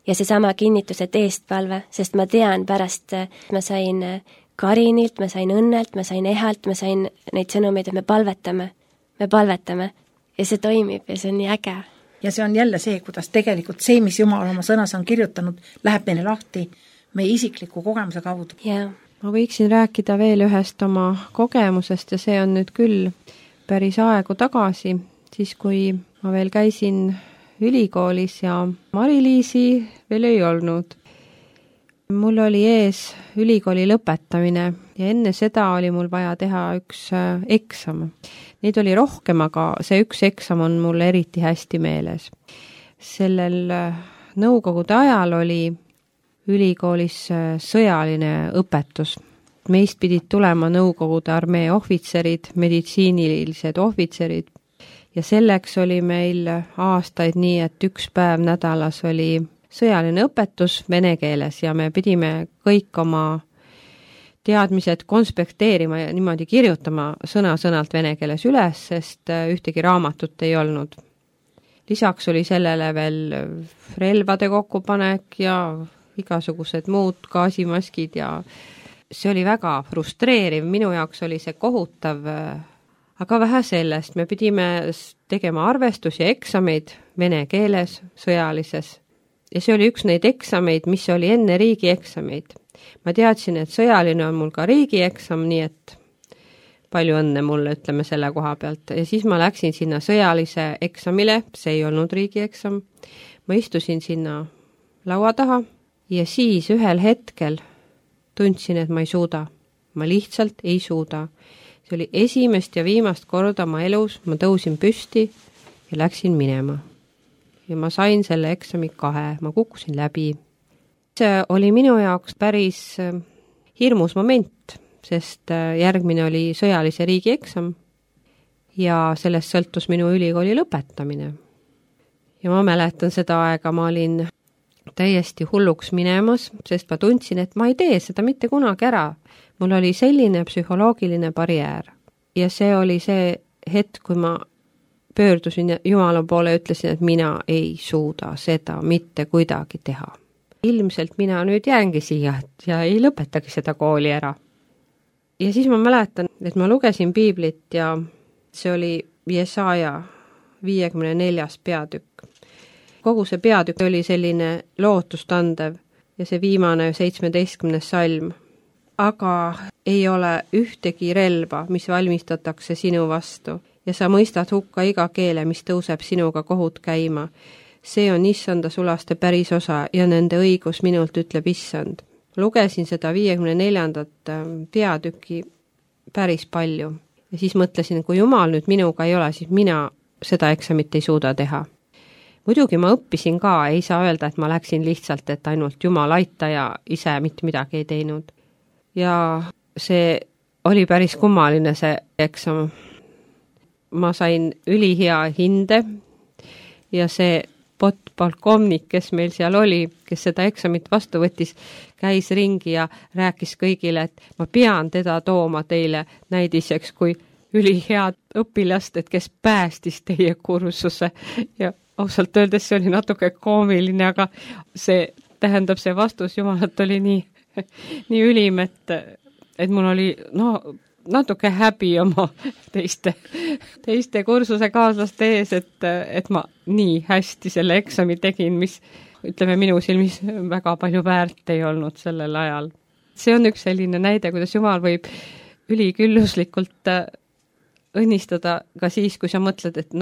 Ja seesama kinnitus, et eestpalve, sest ma tean pärast, ma sain Karinilt, ma sain Õnnelt, ma sain Ehalt, ma sain neid sõnumeid, et me palvetame ja see toimib ja see on nii äge. Ja see on jälle see, kuidas tegelikult see, mis Jumal oma sõnas on kirjutanud, läheb meile lahti meie isikliku kogemuse kaudu. Yeah. Ma võiksin rääkida veel ühest oma kogemusest ja see on nüüd küll päris aegu tagasi, siis kui ma veel käisin ülikoolis ja Mari-Liisi veel ei olnud. Mul oli ees ülikooli lõpetamine ja enne seda oli mul vaja teha üks eksam. Neid oli rohkem, aga see üks eksam on mul eriti hästi meeles. Sellel nõukogude ajal oli ülikoolis sõjaline õpetus. Meist pidid tulema nõukogude armee ohvitserid, meditsiinilised ohvitserid ja selleks oli meil aastaid nii, et üks päev nädalas oli sõjaline õpetus vene keeles ja me pidime kõik oma teadmised konspekteerima ja niimoodi kirjutama sõna-sõnalt vene keeles üles, sest ühtegi raamatut ei olnud. Lisaks oli sellele veel relvade kokkupanek ja igasugused muud gaasimaskid ja see oli väga frustreeriv, minu jaoks oli see kohutav, aga vähe sellest, me pidime tegema arvestusi ja eksameid vene keeles, sõjalises. Ja see oli üks neid eksameid, mis oli enne riigieksameid. Ma teadsin, et sõjaline on mul ka riigieksam, nii et palju õnne mulle, ütleme selle koha pealt. Ja siis ma läksin sinna sõjalise eksamile, see ei olnud riigieksam. Ma istusin sinna laua taha ja siis ühel hetkel tundsin, et ma ei suuda. Ma lihtsalt ei suuda. See oli esimest ja viimast korda ma elus, ma tõusin püsti ja läksin minema. Ja ma sain selle eksami 2, ma kukkusin läbi. See oli minu jaoks päris hirmus moment, sest järgmine oli sõjalise riigieksam ja sellest sõltus minu ülikooli lõpetamine. Ja ma mäletan seda aega, ma olin täiesti hulluks minemas, sest ma tundsin, et ma ei tee seda mitte kunagi ära. Mul oli selline psühholoogiline barjäär ja see oli see hetk, kui ma pöördusin Jumala poole ja ütlesin, et mina ei suuda seda mitte kuidagi teha. Ilmselt mina nüüd jäängi siia ja ei lõpetagi seda kooli ära. ja siis ma mäletan, et ma lugesin piiblit ja see oli Jesaja 54. peatükk. Kogu see peatükk oli selline lootustandev ja see viimane 17. salm. Aga ei ole ühtegi relva, mis valmistatakse sinu vastu ja sa mõistad hukka iga keele, mis tõuseb sinuga kohut käima. See on issanda sulaste päris osa ja nende õigus minult, ütleb issand. Lugesin seda 54. peatüki päris palju ja siis mõtlesin, kui Jumal nüüd minuga ei ole, siis mina seda eksamit ei suuda teha. Muidugi ma õppisin ka, ei saa öelda, et ma läksin lihtsalt, et ainult Jumal aita ja ise mitte midagi ei teinud. Ja see oli päris kummaline see eksam. Ma sain ülihea hinde ja see polkovnik, kes meil seal oli, kes seda eksamit vastu võttis, käis ringi ja rääkis kõigile, et ma pean teda tooma teile näidiseks kui ülihead õpilast, et kes päästis teie kursuse. Ja ausalt öeldes see oli natuke koomiline, aga see tähendab, see vastus Jumalat oli nii ülim, et mul oli natuke häbi oma teiste kursuse kaaslaste ees, et ma nii hästi selle eksami tegin, mis ütleme minu silmis väga palju väärt ei olnud sellel ajal. See on üks selline näide, kuidas Jumal võib ülikülluslikult õnnistada ka siis, kui sa mõtled, et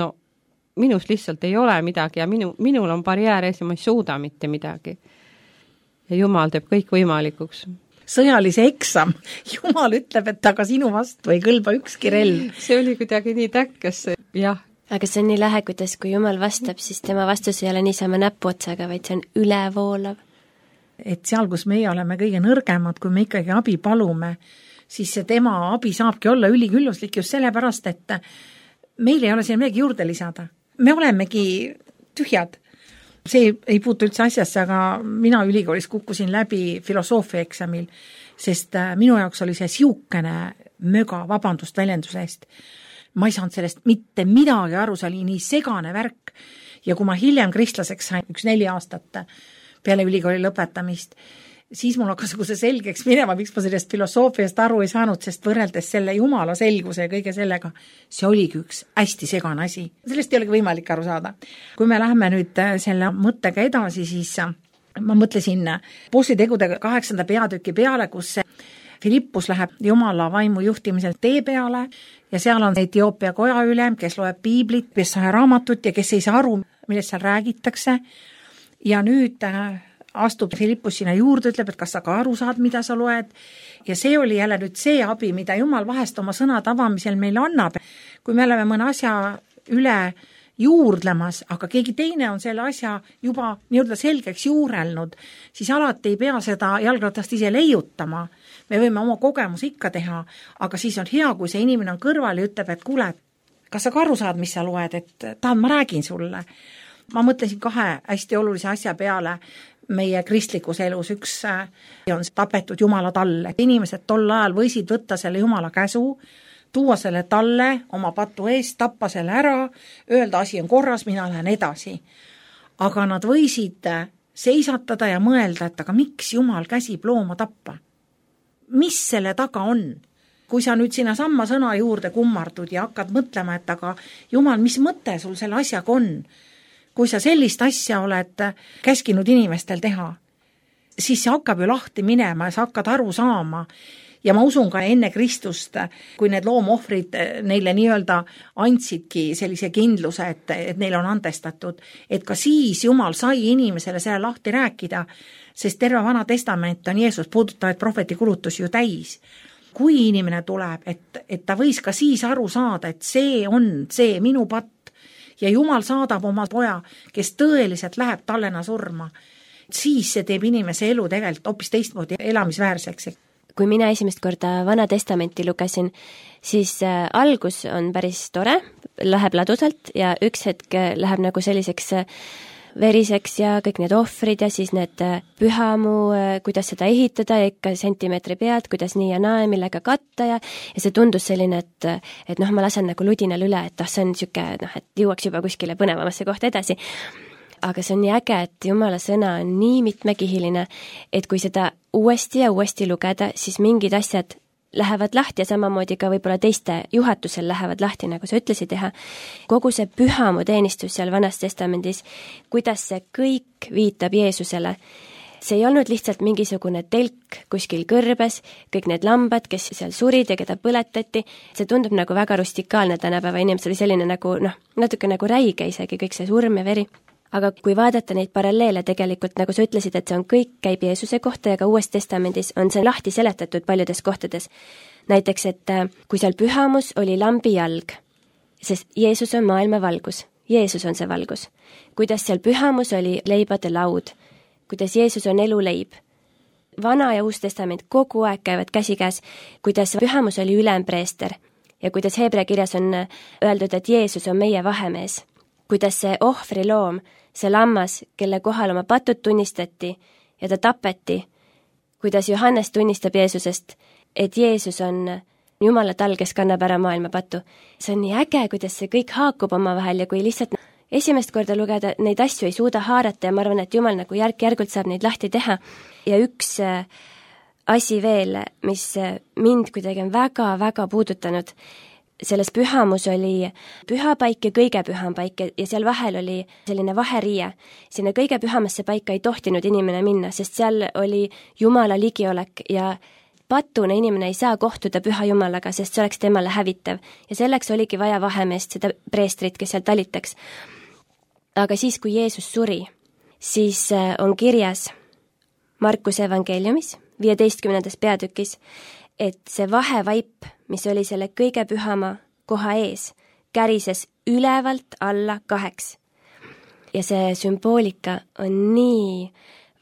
minus lihtsalt ei ole midagi ja minul on barjäär ees ja ma ei suuda mitte midagi. Ja Jumal teeb kõik võimalikuks. Sõjalise eksam. Jumal ütleb, et aga sinu vastu ei kõlba ükski relv. See oli kuidagi nii täkkes, jah. Aga see on nii lähe, kuidas kui Jumal vastab, siis tema vastus ei ole niisama näpuotsaga, vaid see on ülevoolav. Et seal, kus meie oleme kõige nõrgemad, kui me ikkagi abi palume, siis see tema abi saabki olla ülikülluslik just sellepärast, et meil ei ole siin midagi juurde lisada. Me olemegi tühjad. See ei puutu üldse asjasse, aga mina ülikoolis kukkusin läbi filosoofia eksamil, sest minu jaoks oli see siukene möga, vabandust väljenduse eest. Ma ei saanud sellest mitte midagi aru, see oli nii segane värk. Ja kui ma hiljem kristlaseks sain 4 aastat peale ülikooli lõpetamist, siis mul hakkas see selgeks minema, miks ma sellest filosoofiast aru ei saanud, sest võrreldes selle Jumala selguse ja kõige sellega, see oligi üks hästi segane asi. Sellest ei olegi võimalik aru saada. Kui me läheme nüüd selle mõttega edasi, siis ma mõtlesin Apostli-tegude 8. peatüki peale, kus Filippus läheb Jumala vaimu juhtimisel tee peale ja seal on Etioopia koja ülem, kes loeb piiblit, kes saa raamatut ja kes ei saa aru, millest seal räägitakse. Ja nüüd astub Filippus sinna juurde, ütleb, et kas sa ka aru saad, mida sa loed. Ja see oli jälle nüüd see abi, mida Jumal vahest oma sõnad avamisel meile annab. Kui me oleme mõne asja üle juurdlemas, aga keegi teine on selle asja juba nii-öelda selgeks juurelnud, siis alati ei pea seda jalgratast ise leiutama. Me võime oma kogemus ikka teha, aga siis on hea, kui see inimene on kõrval ja ütleb, et kuule, kas sa ka aru saad, mis sa loed, et tahad, ma räägin sulle. Ma mõtlesin 2 hästi olulise asja peale meie kristlikus elus. Üks on tapetud Jumala talle. Inimesed tol ajal võisid võtta selle Jumala käsu, tuua selle talle oma patu eest, tappa selle ära, öelda asi on korras, mina lähen edasi. Aga nad võisid seisatada ja mõelda, et aga miks Jumal käsib looma tappa? Mis selle taga on? Kui sa nüüd sinna samma sõna juurde kummardud ja hakkad mõtlema, et aga Jumal, mis mõte sul selle asjaga on? Kui sa sellist asja oled käskinud inimestel teha, siis see hakkab ju lahti minema ja sa hakkad aru saama. Ja ma usun ka enne Kristust, kui need loomohvrid neile nii-öelda andsidki sellise kindluse, et neil on andestatud, et ka siis Jumal sai inimesele selle lahti rääkida, sest terve Vana Testament on Jeesus puudutavaid prohveti kulutusi ju täis. Kui inimene tuleb, et ta võis ka siis aru saada, et see on see minu patt, ja Jumal saadab oma poja, kes tõeliselt läheb tallena surma, siis see teeb inimese elu tegelikult hoopis teistmoodi elamisväärseks. Kui mina esimest korda Vana Testamenti lugesin, siis algus on päris tore, läheb ladusalt ja üks hetk läheb nagu selliseks veriseks ja kõik need ohvrid ja siis need pühamu, kuidas seda ehitada ja ikka sentimeetri pealt, kuidas nii ja naa, millega katta ja see tundus selline, et ma lasen nagu ludinal üle, et see on siuke, et jõuaks juba kuskile põnevamasse kohta edasi. Aga see on nii äge, et Jumala sõna on nii mitmekihiline, et kui seda uuesti ja uuesti lugeda, siis mingid asjad lähevad lahti ja samamoodi ka võib-olla teiste juhatusel lähevad lahti, nagu sa ütlesid teha. Kogu see pühamu teenistus seal Vanas Testamendis, kuidas see kõik viitab Jeesusele. See ei olnud lihtsalt mingisugune telk kuskil kõrbes, kõik need lambad, kes seal surid ja keda põletati, see tundub nagu väga rustikaalne tänapäeva inimesel, selline nagu natuke nagu räige isegi, kõik see surm ja veri. Aga kui vaadata neid paralleele tegelikult, nagu sa ütlesid, et see on kõik käib Jeesuse kohta ja ka Uues Testamendis on see lahti seletatud paljudes kohtades. Näiteks, et kui seal pühamus oli lambi jalg, sest Jeesus on maailma valgus, Jeesus on see valgus. Kuidas seal pühamus oli leibade laud, kuidas Jeesus on eluleib. Vana ja Uus Testament kogu aeg käivad käsikäes, kuidas pühamus oli ülempreester ja kuidas Heebrea kirjas on öeldud, et Jeesus on meie vahemees. Kuidas see ohvriloom, see lammas, kelle kohal oma patud tunnistati ja ta tapeti, kuidas Johannes tunnistab Jeesusest, et Jeesus on Jumala tal, kes kannab ära maailma patu. See on nii äge, kuidas see kõik haakub omavahel ja kui lihtsalt esimest korda lugeda, neid asju ei suuda haarata ja ma arvan, et Jumal nagu järk-järgult saab neid lahti teha. Ja üks asi veel, mis mind kuidagi on väga-väga puudutanud, selles pühamus oli pühapaik ja kõige püham paik ja seal vahel oli selline vaheriie. Sinna kõige pühamasse paika ei tohtinud inimene minna, sest seal oli Jumala ligiolek ja patune inimene ei saa kohtuda püha Jumalaga, sest see oleks temale hävitav. Ja selleks oligi vaja vahemeest, seda preestrit, kes seal talitaks. Aga siis, kui Jeesus suri, siis on kirjas Markuse evangeeliumis 15. peatükis, et see vahevaip, mis oli selle kõige pühama koha ees, kärises ülevalt alla 2. Ja see sümboolika on nii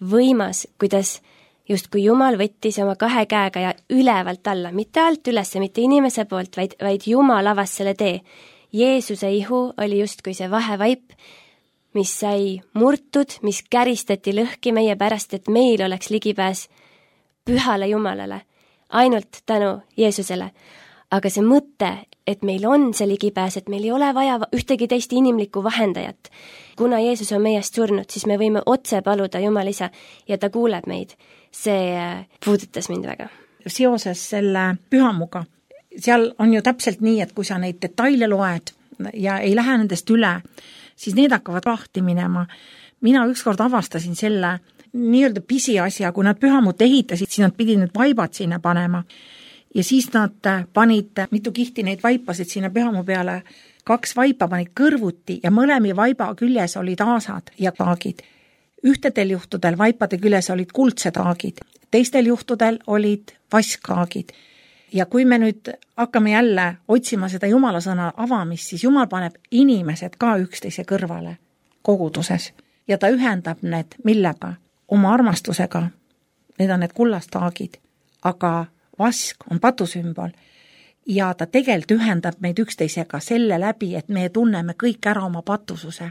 võimas, kuidas justkui Jumal võttis oma 2 käega ja ülevalt alla, mitte alt üles, mitte inimese poolt, vaid Jumal avas selle tee. Jeesuse ihu oli justkui see vahevaip, mis sai murtud, mis käristati lõhki meie pärast, et meil oleks ligipääs pühale Jumalale, ainult tänu Jeesusele. Aga see mõte, et meil on see ligipääs, et meil ei ole vaja ühtegi teist inimlikku vahendajat. Kuna Jeesus on meiest surnud, siis me võime otse paluda Jumal isa ja ta kuuleb meid. See puudutas mind väga. Seoses selle pühamuga, seal on ju täpselt nii, et kui sa neid detaile loed ja ei lähe nendest üle, siis need hakkavad lahti minema. Mina ükskord avastasin selle nii-öelda pisiasja, kui nad pühamut ehitasid, siis nad pidid need vaibad sinna panema. Ja siis nad panid mitu kihti neid vaipasid sinna pühamu peale, 2 vaipa panid kõrvuti ja mõlemi vaiba küljes olid aasad ja taagid. Ühtedel juhtudel vaipade küljes olid kuldsed taagid, teistel juhtudel olid vasktaagid. Ja kui me nüüd hakkame jälle otsima seda Jumala sõna avamist, siis Jumal paneb inimesed ka üksteise kõrvale koguduses ja ta ühendab need millega? Oma armastusega. Need on need kullastaagid, aga vask on patusümbol ja ta tegelikult ühendab meid üksteisega selle läbi, et me tunneme kõik ära oma patususe.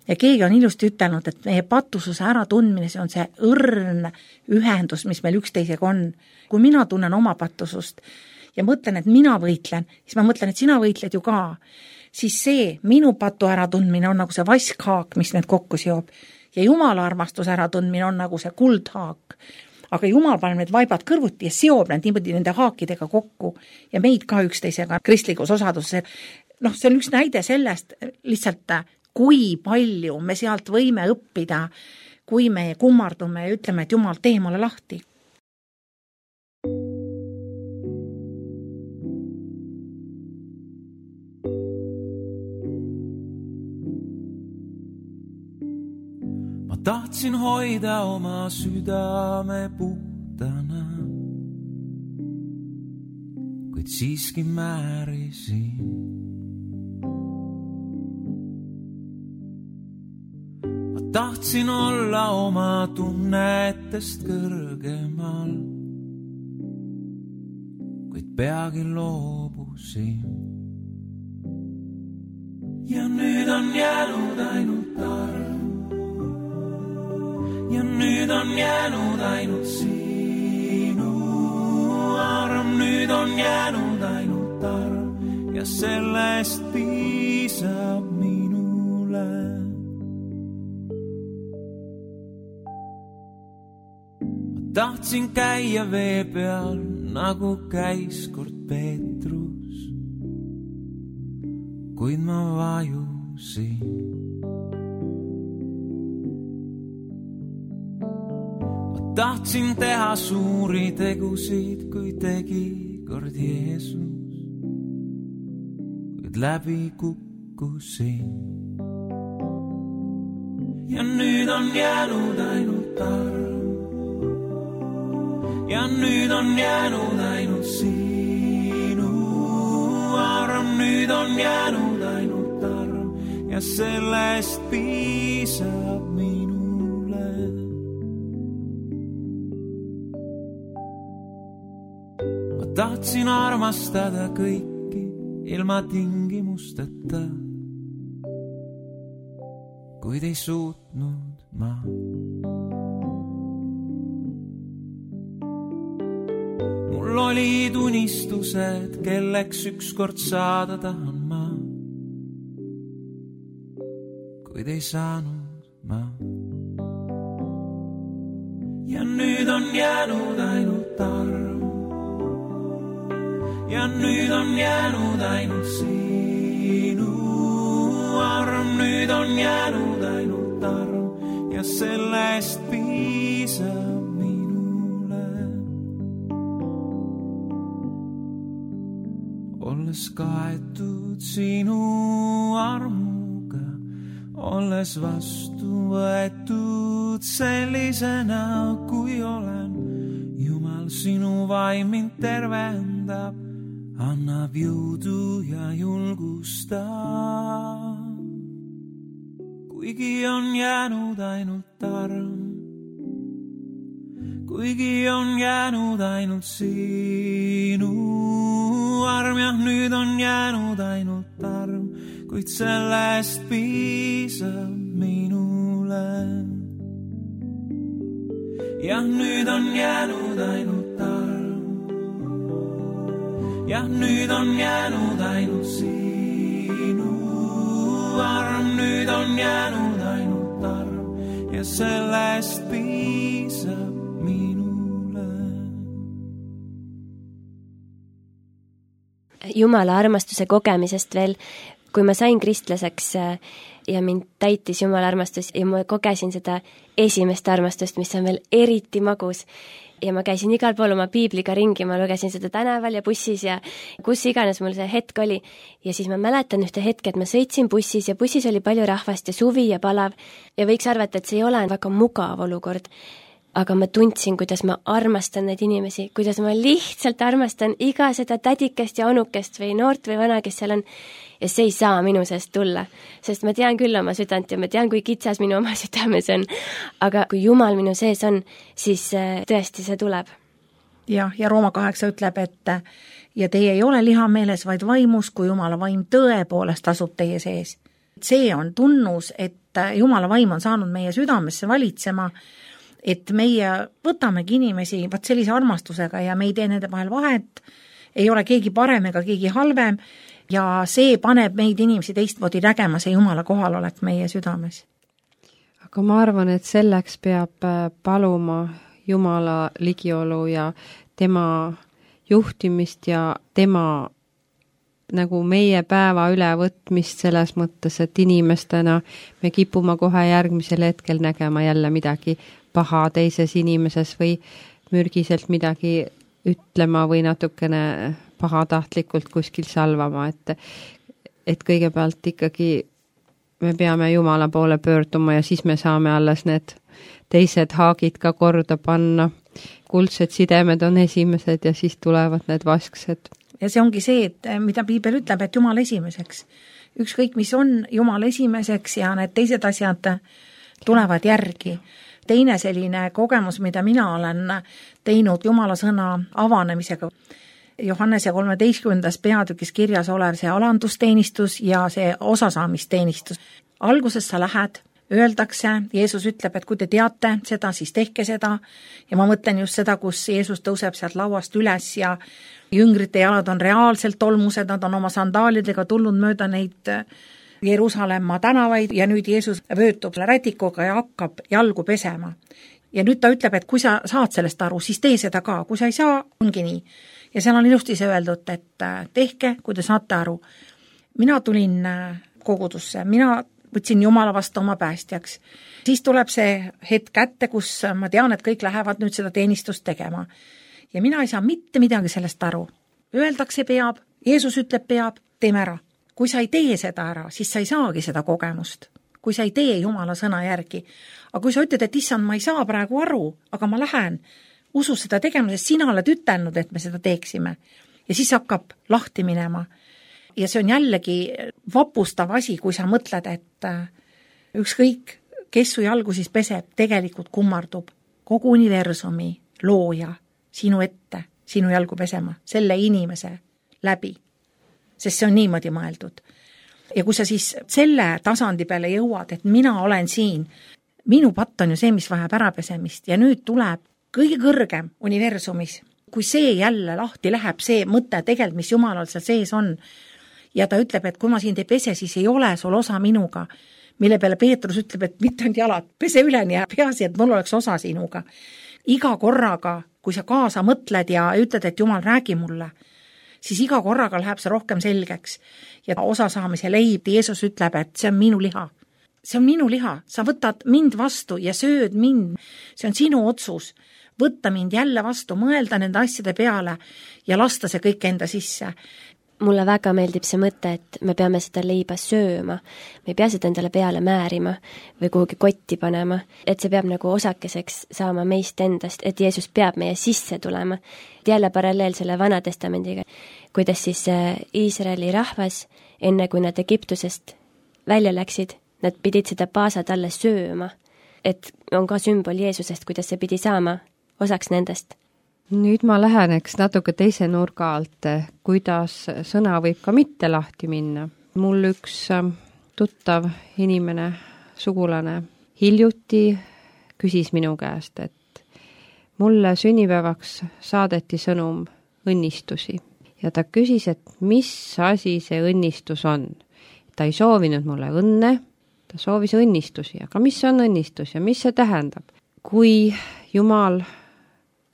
Ja keegi on ilusti ütelnud, et meie patususe äratundmine, see on see õrn ühendus, mis meil üksteisega on. Kui mina tunnen oma patusust ja mõtlen, et mina võitlen, siis ma mõtlen, et sina võitled ju ka. Siis see minu patu äratundmine on nagu see vaskhaak, mis need kokku seob. Ja Jumala armastus äratundmine on nagu see kuldhaak. Aga Jumal paneb need vaibad kõrvuti ja seob need niimoodi nende haakidega kokku ja meid ka üksteisega kristlikus osaduses. See on üks näide sellest lihtsalt, kui palju me sealt võime õppida, kui me kummardume ja ütleme, et Jumal, tee mulle lahti. Ma tahtsin hoida oma südame puhtana, kuid siiski määrisin. Tahtsin olla oma tunnetest kõrgemal, kuid peagi loobusin. Ja nüüd on jäänud ainult arm, ja nüüd on jäänud ainult sinu arm, nüüd on jäänud ainult arm ja sellest piisab minule. Tahtsin käia vee peal nagu käis kord Peetrus, kuid ma vajusin. Ma tahtsin teha suuri tegusid, kui tegi kord Jeesus, kuid läbi kukkusin. Ja nüüd on jäänud ainult arm, ja nüüd on jäänud ainult sinu arm, nüüd on jäänud ainult arm ja sellest piisab minule. Ma tahtsin armastada kõiki ilma tingimusteta, kuid ei suutnud ma. Mul olid unistused, kelleks ükskord saada tahan ma, kuid ei saanud ma. Ja nüüd on jäänud ainult arm, ja nüüd on jäänud ainult sinu arm, nüüd on jäänud ainult arm ja sellest piisab minule. Olles kaetud sinu armuga, olles vastu võetud sellisena, kui olen, Jumal, sinu vaim mind tervendab, annab jõudu ja julgustab. Kuigi on jäänud ainult arm, kuigi on jäänud ainult sinu arm, jah, nüüd on jäänud ainult arm, kuid sellest piisab minule. Jah, nüüd on jäänud ainult arm, jah, nüüd on jäänud ainult sinu arm, nüüd on jäänud ainult arm ja sellest piisab minule. Jumala armastuse kogemisest veel, kui ma sain kristlaseks ja mind täitis Jumala armastus ja ma kogesin seda esimest armastust, mis on veel eriti magus. Ja ma käisin igal pool oma piibliga ringi, ma lugesin seda tänaval ja bussis ja kus iganes mul see hetk oli. Ja siis ma mäletan ühte hetke, et ma sõitsin bussis ja bussis oli palju rahvast ja suvi ja palav ja võiks arvata, et see ei ole väga mugav olukord. Aga ma tundsin, kuidas ma armastan neid inimesi, kuidas ma lihtsalt armastan iga seda tädikest ja onukest või noort või vana, kes seal on. Ja see ei saa minu seest tulla, sest ma tean küll oma südant ja ma tean, kui kitsas minu oma südames on. Aga kui Jumal minu sees on, siis tõesti see tuleb. Ja Rooma 8 ütleb, et ja teie ei ole lihameeles, vaid vaimus, kui Jumala vaim tõepoolest asub teie sees. See on tunnus, et Jumala vaim on saanud meie südamesse valitsema, et meie võtamegi inimesi vaat sellise armastusega ja me ei tee nende vahel vahet, ei ole keegi parem ega keegi halvem ja see paneb meid inimesi teistmoodi nägema, see Jumala kohalolek meie südames. Aga ma arvan, et selleks peab paluma Jumala ligiolu ja tema juhtimist ja tema nagu meie päeva ülevõtmist selles mõttes, et inimestena me kipume kohe järgmisel hetkel nägema jälle midagi paha teises inimeses või mürgiselt midagi ütlema või natukene pahatahtlikult kuskil salvama, et kõigepealt ikkagi me peame Jumala poole pöörduma ja siis me saame alles need teised haagid ka korda panna. Kuldsed sidemed on esimesed ja siis tulevad need vasksed. Ja see ongi see, et mida Piibel ütleb, et Jumal esimeseks. Ükskõik, mis on Jumal esimeseks ja need teised asjad tulevad järgi. Teine selline kogemus, mida mina olen teinud Jumala sõna avanemisega. Johannese 13. peatükis kirjas olev see alandusteenistus ja see osasaamisteenistus. Alguses sa lähed, öeldakse, Jeesus ütleb, et kui te teate seda, siis tehke seda. Ja ma mõtlen just seda, kus Jeesus tõuseb sealt lauast üles ja jüngrite jalad on reaalselt tolmused, nad on oma sandaalidega tulnud mööda neid Jeruusalemma tänavaid ja nüüd Jeesus vöötub rätikuga ja hakkab jalgu pesema. Ja nüüd ta ütleb, et kui sa saad sellest aru, siis tee seda ka, kui sa ei saa, ongi nii. Ja seal on ilusti see öeldud, et tehke, kui te saate aru. Mina tulin kogudusse, mina võtsin Jumala vastu oma päästjaks. Siis tuleb see hetk kätte, kus ma tean, et kõik lähevad nüüd seda teenistust tegema. Ja mina ei saa mitte midagi sellest aru. Öeldakse peab, Jeesus ütleb peab, teeme ära. Kui sa ei tee seda ära, siis sa ei saagi seda kogemust. Kui sa ei tee Jumala sõna järgi. Aga kui sa ütled, et issand, ma ei saa praegu aru, aga ma lähen, usu seda tegema, sest sina oled ütelnud, et me seda teeksime. Ja siis hakkab lahti minema. Ja see on jällegi vapustav asi, kui sa mõtled, et ükskõik, kes su jalgu siis peseb, tegelikult kummardub kogu universumi looja sinu ette, sinu jalgu pesema, selle inimese läbi. Sest see on niimoodi mõeldud. Ja kui sa siis selle tasandi peale jõuad, et mina olen siin, minu patt on ju see, mis vajab ärapesemist ja nüüd tuleb kõige kõrgem universumis, kui see jälle lahti läheb, see mõte tegelikult, mis Jumalal seal sees on, ja ta ütleb, et kui ma sind ei pese, siis ei ole sul osa minuga, mille peale Peetrus ütleb, et mitte ainult jalad, pese üleni ja peasi, et mul oleks osa sinuga. Iga korraga, kui sa kaasa mõtled ja ütled, et Jumal, räägi mulle, siis iga korraga läheb see rohkem selgeks. Ja osa saamise leib, Jeesus ütleb, et see on minu liha. See on minu liha, sa võtad mind vastu ja sööd mind. See on sinu otsus. Võtta mind jälle vastu, mõelda nende asjade peale ja lasta see kõik enda sisse. Mulle väga meeldib see mõte, et me peame seda leiba sööma. Me ei pea seda endale peale määrima või kuhugi kotti panema. Et see peab nagu osakeseks saama meist endast, et Jeesus peab meie sisse tulema. Jälle paralleel selle Vana Testamendiga, kuidas siis Iisraeli rahvas, enne kui nad Egiptusest välja läksid, nad pidid seda paasad alle sööma. Et on ka sümbol Jeesusest, kuidas see pidi saama osaks nendest. Nüüd ma läheneks natuke teise nurga alt, kuidas sõna võib ka mitte lahti minna. Mul üks tuttav inimene, sugulane, hiljuti küsis minu käest, et mulle sünnipäevaks saadeti sõnum õnnistusi. Ja ta küsis, et mis asi see õnnistus on. Ta ei soovinud mulle õnne, ta soovis õnnistusi, aga mis on õnnistus ja mis see tähendab? Kui Jumal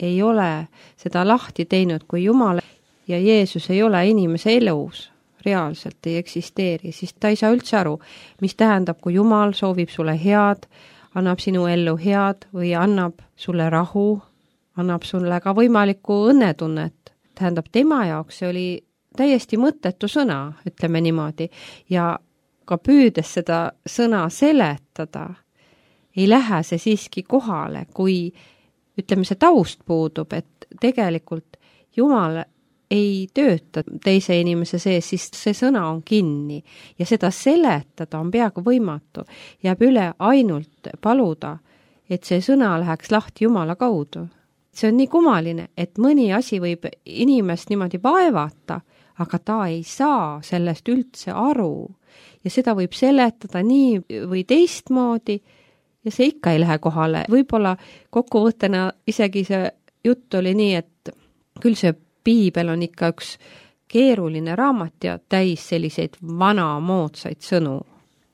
ei ole seda lahti teinud, kui Jumal ja Jeesus ei ole inimese elus, reaalselt ei eksisteeri, siis ta ei saa üldse aru, mis tähendab, kui Jumal soovib sulle head, annab sinu ellu head või annab sulle rahu, annab sulle ka võimalikku õnnetunnet. Tähendab, tema jaoks see oli täiesti mõttetu sõna, ütleme niimoodi, ja ka püüdes seda sõna seletada, ei lähe see siiski kohale, kui ütleme, see taust puudub, et tegelikult Jumal ei tööta teise inimese sees, siis see sõna on kinni ja seda seletada on peaaegu võimatu. Jääb üle ainult paluda, et see sõna läheks lahti Jumala kaudu. See on nii kummaline, et mõni asi võib inimest niimoodi vaevata, aga ta ei saa sellest üldse aru. Ja seda võib seletada nii või teistmoodi, ja see ikka ei lähe kohale. Võib-olla kokkuvõttena isegi see jutt oli nii, et küll see piibel on ikka üks keeruline raamat ja täis selliseid vanamoodsaid sõnu.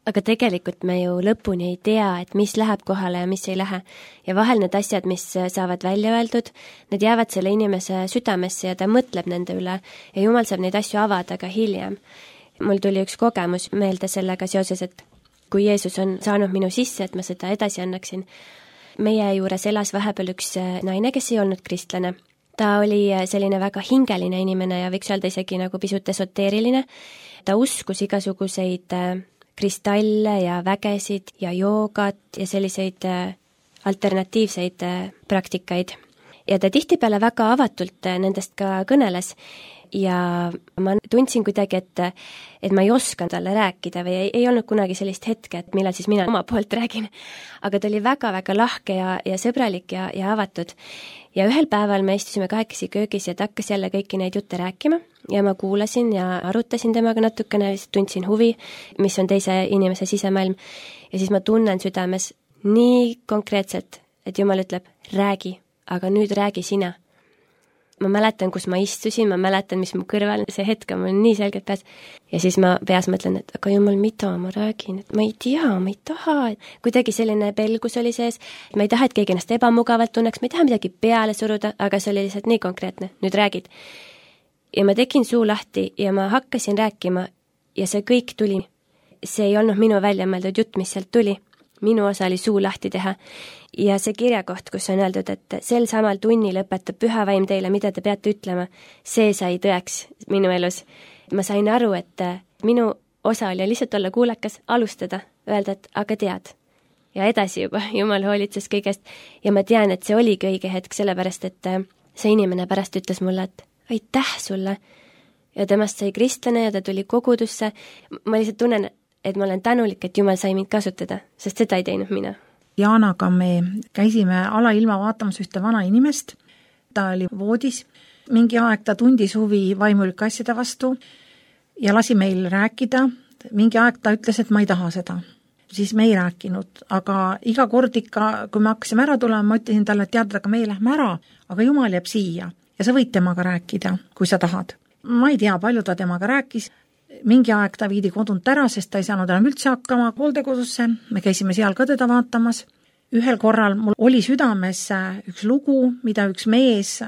Aga tegelikult me ju lõpuni ei tea, et mis läheb kohale ja mis ei lähe. Ja vahel need asjad, mis saavad välja öeldud, need jäävad selle inimese südamesse ja ta mõtleb nende üle ja Jumal saab neid asju avada ka hiljem. Mul tuli üks kogemus meelde sellega seoses, et kui Jeesus on saanud minu sisse, et ma seda edasi annaksin. Meie juures elas vahepeal üks naine, kes ei olnud kristlane. Ta oli selline väga hingeline inimene ja võiks öelda isegi nagu pisut esoteeriline. Ta uskus igasuguseid kristalle ja vägesid ja joogat ja selliseid alternatiivseid praktikaid. Ja ta tihtipeale väga avatult nendest ka kõneles. Ja ma tundsin kuidagi, et ma ei oska talle rääkida või ei olnud kunagi sellist hetke, et millal siis mina oma poolt räägin. Aga ta oli väga-väga lahke ja sõbralik ja avatud. Ja ühel päeval me istusime kahekesi köögis ja ta hakkas jälle kõiki neid jutte rääkima ja ma kuulasin ja arutasin temaga natukene, tundsin huvi, mis on teise inimese sisemaailm. Ja siis ma tunnen südames nii konkreetselt, et Jumal ütleb, räägi, aga nüüd räägi sina. ma mäletan, kus ma istusin, ma mäletan, mis mu kõrval, see hetk on mul nii selgelt peas. Ja siis ma peas mõtlen, et aga jumal, mida ma räägin, et ma ei tea, ma ei taha. Kuidagi selline pelgus oli sees, ma ei taha, et keegi ennast ebamugavalt tunneks, ma ei taha midagi peale suruda, aga see oli lihtsalt nii konkreetne, nüüd räägid. Ja ma tegin suu lahti ja ma hakkasin rääkima ja see kõik tuli. See ei olnud minu välja mõeldud jutt, mis sealt tuli. Minu osa oli suu lahti teha ja see kirjakoht, kus on öeldud, et sel samal tunnil õpetab Püha Vaim teile, mida te peate ütlema, see sai tõeks minu elus. Ma sain aru, et minu osa oli lihtsalt olla kuulakas, alustada, öelda, et aga tead. Ja edasi juba, Jumal hoolitses kõigest ja ma tean, et see oligi õige hetk, sellepärast, et see inimene pärast ütles mulle, et aitäh sulle ja temast sai kristlane ja ta tuli kogudusse. Ma lihtsalt tunnen, et ma olen tänulik, et Jumal sai mind kasutada, sest seda ei teinud mina. Jaanaga me käisime alailma vaatamas ühte vana inimest, ta oli voodis, mingi aeg ta tundis huvi vaimulike asjade vastu ja lasi meil rääkida, mingi aeg ta ütles, et ma ei taha seda. Siis me ei rääkinud, aga iga kord ikka, kui me hakkasime ära tulema, ma ütlesin talle, et tead, aga me lähme ära, aga Jumal jääb siia ja sa võid temaga rääkida, kui sa tahad. Ma ei tea, palju ta temaga rääkis. Mingi aeg ta viidi kodunt ära, sest ta ei saanud enam üldse hakkama hooldekodusse. Me käisime seal ka teda vaatamas. Ühel korral mul oli südames üks lugu, mida üks mees,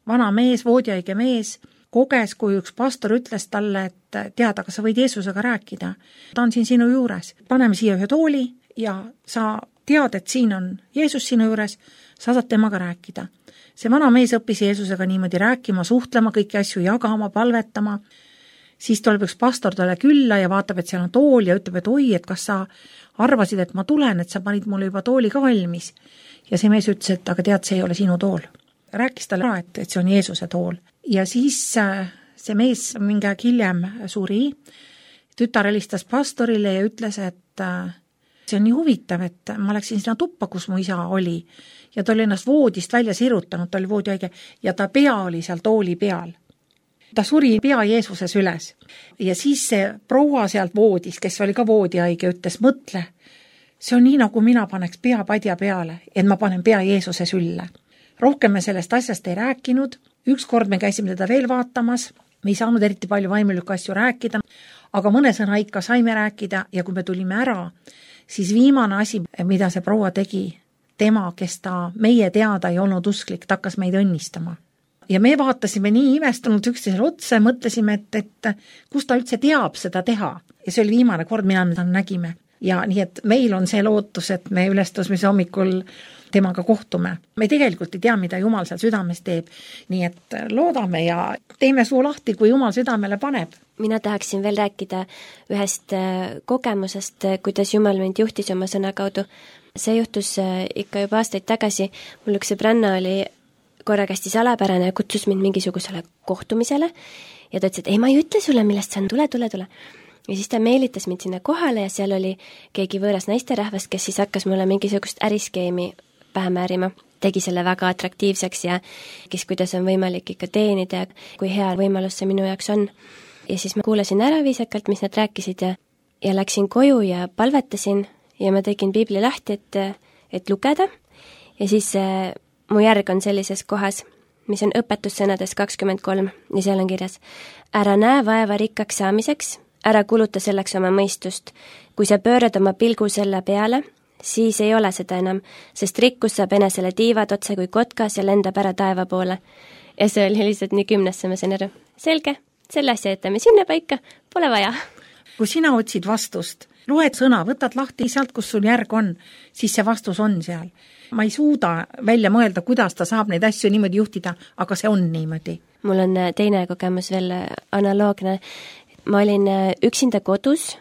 vana mees, voodihaige mees, koges, kui üks pastor ütles talle, et tead, aga sa võid Jeesusega rääkida. Ta on siin sinu juures. Paneme siia ühe tooli ja sa tead, et siin on Jeesus sinu juures, sa saad temaga rääkida. See vana mees õppis Jeesusega niimoodi rääkima, suhtlema, kõiki asju jagama, palvetama. Siis tuleb üks pastor talle külla ja vaatab, et seal on tool ja ütleb, et oi, et kas sa arvasid, et ma tulen, et sa panid mulle juba tooli ka valmis. Ja see mees ütles, et aga tead, see ei ole sinu tool. Rääkis talle ära, et see on Jeesuse tool. Ja siis see mees mingi aeg hiljem suri, tütar helistas pastorile ja ütles, et see on nii huvitav, et ma läksin sinna tuppa, kus mu isa oli ja ta oli ennast voodist välja sirutanud, ta oli voodihaige ja ta pea oli seal tooli peal. Ta suri pea Jeesuses üles ja siis see proua sealt voodis, kes oli ka voodihaige, ütles, mõtle, see on nii, nagu mina paneks pea padja peale, et ma panen pea Jeesuse sülle. Rohkem me sellest asjast ei rääkinud, ükskord me käisime teda veel vaatamas, me ei saanud eriti palju vaimulikke asju rääkida, aga mõne sõna ikka saime rääkida ja kui me tulime ära, siis viimane asi, mida see proua tegi, tema, kes ta meie teada ei olnud usklik, ta hakkas meid õnnistama. Ja me vaatasime nii imestunud üksteisele otsa ja mõtlesime, et kus ta üldse teab seda teha. Ja see oli viimane kord, mida me nägime. Ja nii, et meil on see lootus, et me ülestõusmise hommikul temaga kohtume. Me tegelikult ei tea, mida Jumal seal südames teeb. Nii et loodame ja teeme suu lahti, kui Jumal südamele paneb. Mina tahaksin veel rääkida ühest kogemusest, kuidas Jumal mind juhtis oma sõna kaudu. See juhtus ikka juba aastaid tagasi. Mul üks sõbranna oli korraga hästi salapärane ja kutsus mind mingisugusele kohtumisele ja ta ütles, et ei, ma ei ütle sulle, millest see on, tule. Ja siis ta meelitas mind sinna kohale ja seal oli keegi võõras naisterahvast, kes siis hakkas mulle mingisugust äriskeemi pähe määrima. Tegi selle väga atraktiivseks ja kes kuidas on võimalik ikka teenida ja kui hea võimalus see minu jaoks on. Ja siis ma kuulasin ära viisakalt, mis nad rääkisid ja läksin koju ja palvetasin ja ma tegin piibli lahti, et lugeda ja siis mu järg on sellises kohas, mis on õpetussõnades 23 ja seal on kirjas ära näe vaeva rikkaks saamiseks, ära kuluta selleks oma mõistust. Kui sa pöörad oma pilgu selle peale, siis ei ole seda enam, sest rikkus saab enesele tiivad otse kui kotkas ja lendab ära taeva poole. Ja see oli lihtsalt nii 10, ma sain aru. Selge, selle asja jätame sinna paika, pole vaja. Kui sina otsid vastust, loed sõna, võtad lahti sealt, kus sul järg on, siis see vastus on seal. Ma ei suuda välja mõelda, kuidas ta saab neid asju niimoodi juhtida, aga see on niimoodi. Mul on teine kogemus veel analoogne. Ma olin üksinda kodus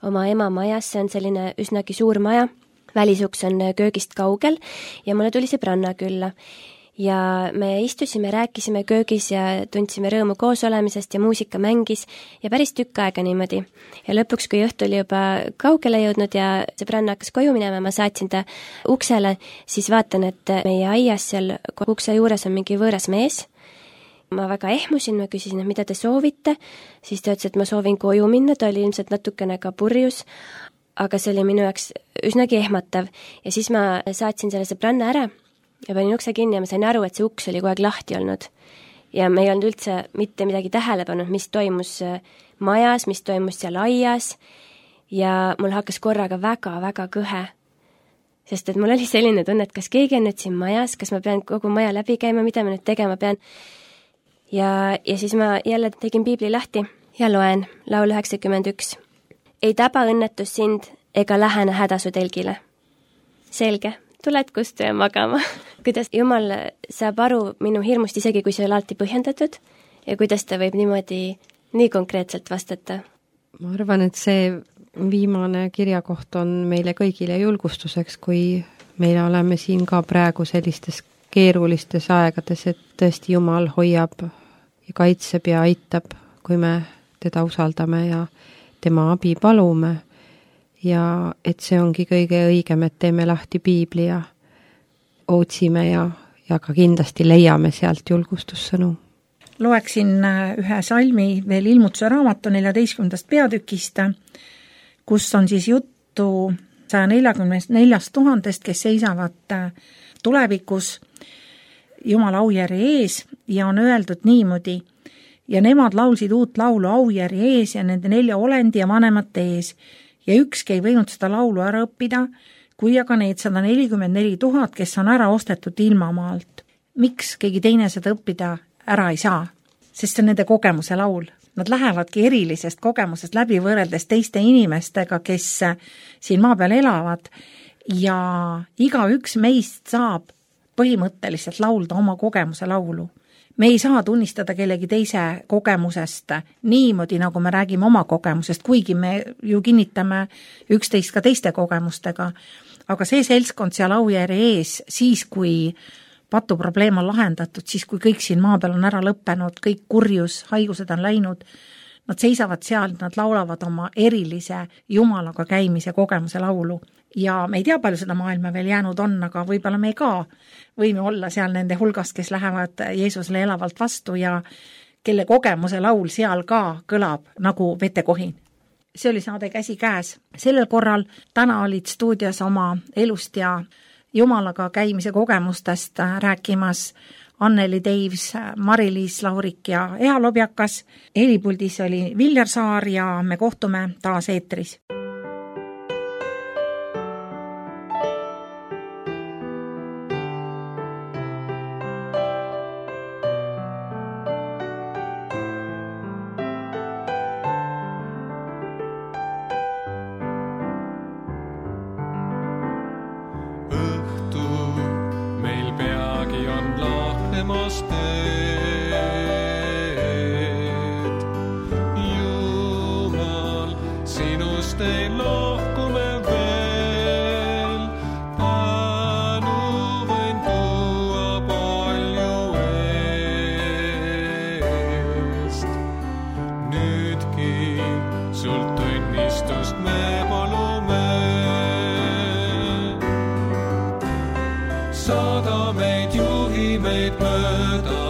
oma ema majas, see on selline üsnagi suur maja, välisuks on köögist kaugel ja mulle tuli sõbranna külla. Ja me istusime, rääkisime köögis ja tundsime rõõmu koos olemisest ja muusika mängis ja päris tükk aega niimoodi. Ja lõpuks, kui õhtu oli juba kaugele jõudnud ja sõbranna hakkas koju minema, ma saatsin ta uksele, siis vaatan, et meie aias seal ukse juures on mingi võõras mees. Ma väga ehmusin, ma küsisin, mida te soovite, siis ta ütles, et ma soovin koju minna, ta oli ilmselt natukene ka purjus, aga see oli minu jaoks üsnagi ehmatav ja siis ma saatsin selle sõbranna ära ja panin ukse kinni ja ma sain aru, et see uks oli kogu aeg lahti olnud. ja me ei olnud üldse mitte midagi tähele pannud, mis toimus majas, mis toimus seal aias ja mul hakkas korraga väga-väga kõhe. Sest et mul oli selline tunne, et kas keegi on nüüd siin majas, kas ma pean kogu maja läbi käima, mida ma nüüd tegema pean. Ja siis ma jälle tegin piibli lahti ja loen laul 91. Ei taba õnnetus sind ega lähene häda su telgile. Selge, tuled kustu ja magama. Kuidas Jumal saab aru minu hirmust, isegi kui see on alati põhjendatud ja kuidas ta võib niimoodi nii konkreetselt vastata? Ma arvan, et see viimane kirjakoht on meile kõigile julgustuseks, kui meile oleme siin ka praegu sellistes keerulistes aegades, et tõesti Jumal hoiab ja kaitseb ja aitab, kui me teda usaldame ja tema abi palume. Ja et see ongi kõige õigem, et teeme lahti piibli ja otsime ja ka kindlasti leiame sealt julgustussõnu. Loeksin ühe salmi veel Ilmutuse raamatu 14. peatükist, kus on siis juttu 144 000, kes seisavad tulevikus Jumala aujärje ees ja on öeldud niimoodi, ja nemad laulsid uut laulu aujärje ees ja nende 4 olendi ja vanemate ees ja ükski ei võinud seda laulu ära õppida, kui aga need 144 000, kes on ära ostetud ilmamaalt. Miks keegi teine seda õppida ära ei saa? Sest see on nende kogemuse laul. Nad lähevadki erilisest kogemusest läbi võrreldes teiste inimestega, kes siin maa peal elavad ja igaüks meist saab põhimõtteliselt laulda oma kogemuse laulu. Me ei saa tunnistada kellegi teise kogemusest niimoodi, nagu me räägime oma kogemusest, kuigi me ju kinnitame üksteist ka teiste kogemustega. Aga see seltskond seal aujärje ees, siis kui patuprobleem on lahendatud, siis kui kõik siin maa peal on ära lõppenud, kõik kurjus, haigused on läinud, nad seisavad seal, nad laulavad oma erilise Jumalaga käimise kogemuse laulu. Ja me ei tea, palju seda maailma veel jäänud on, aga võib-olla me ka võime olla seal nende hulgast, kes lähevad Jeesusele elavalt vastu ja kelle kogemuse laul seal ka kõlab nagu vetekohin. See oli saade Käsi käes. Sellel korral täna olid stuudios oma elust ja Jumalaga käimise kogemustest rääkimas Anneli Teivs, Mari-Liis Laurik ja Ea Lobjakas. Helipuldis oli Viljar Saar ja me kohtume taas eetris. Jumal, sinust ei lohku me veel, tänu võin tuua palju eest. Nüüdki sult õnnistust me palume, saada meid, juhi meid mööda.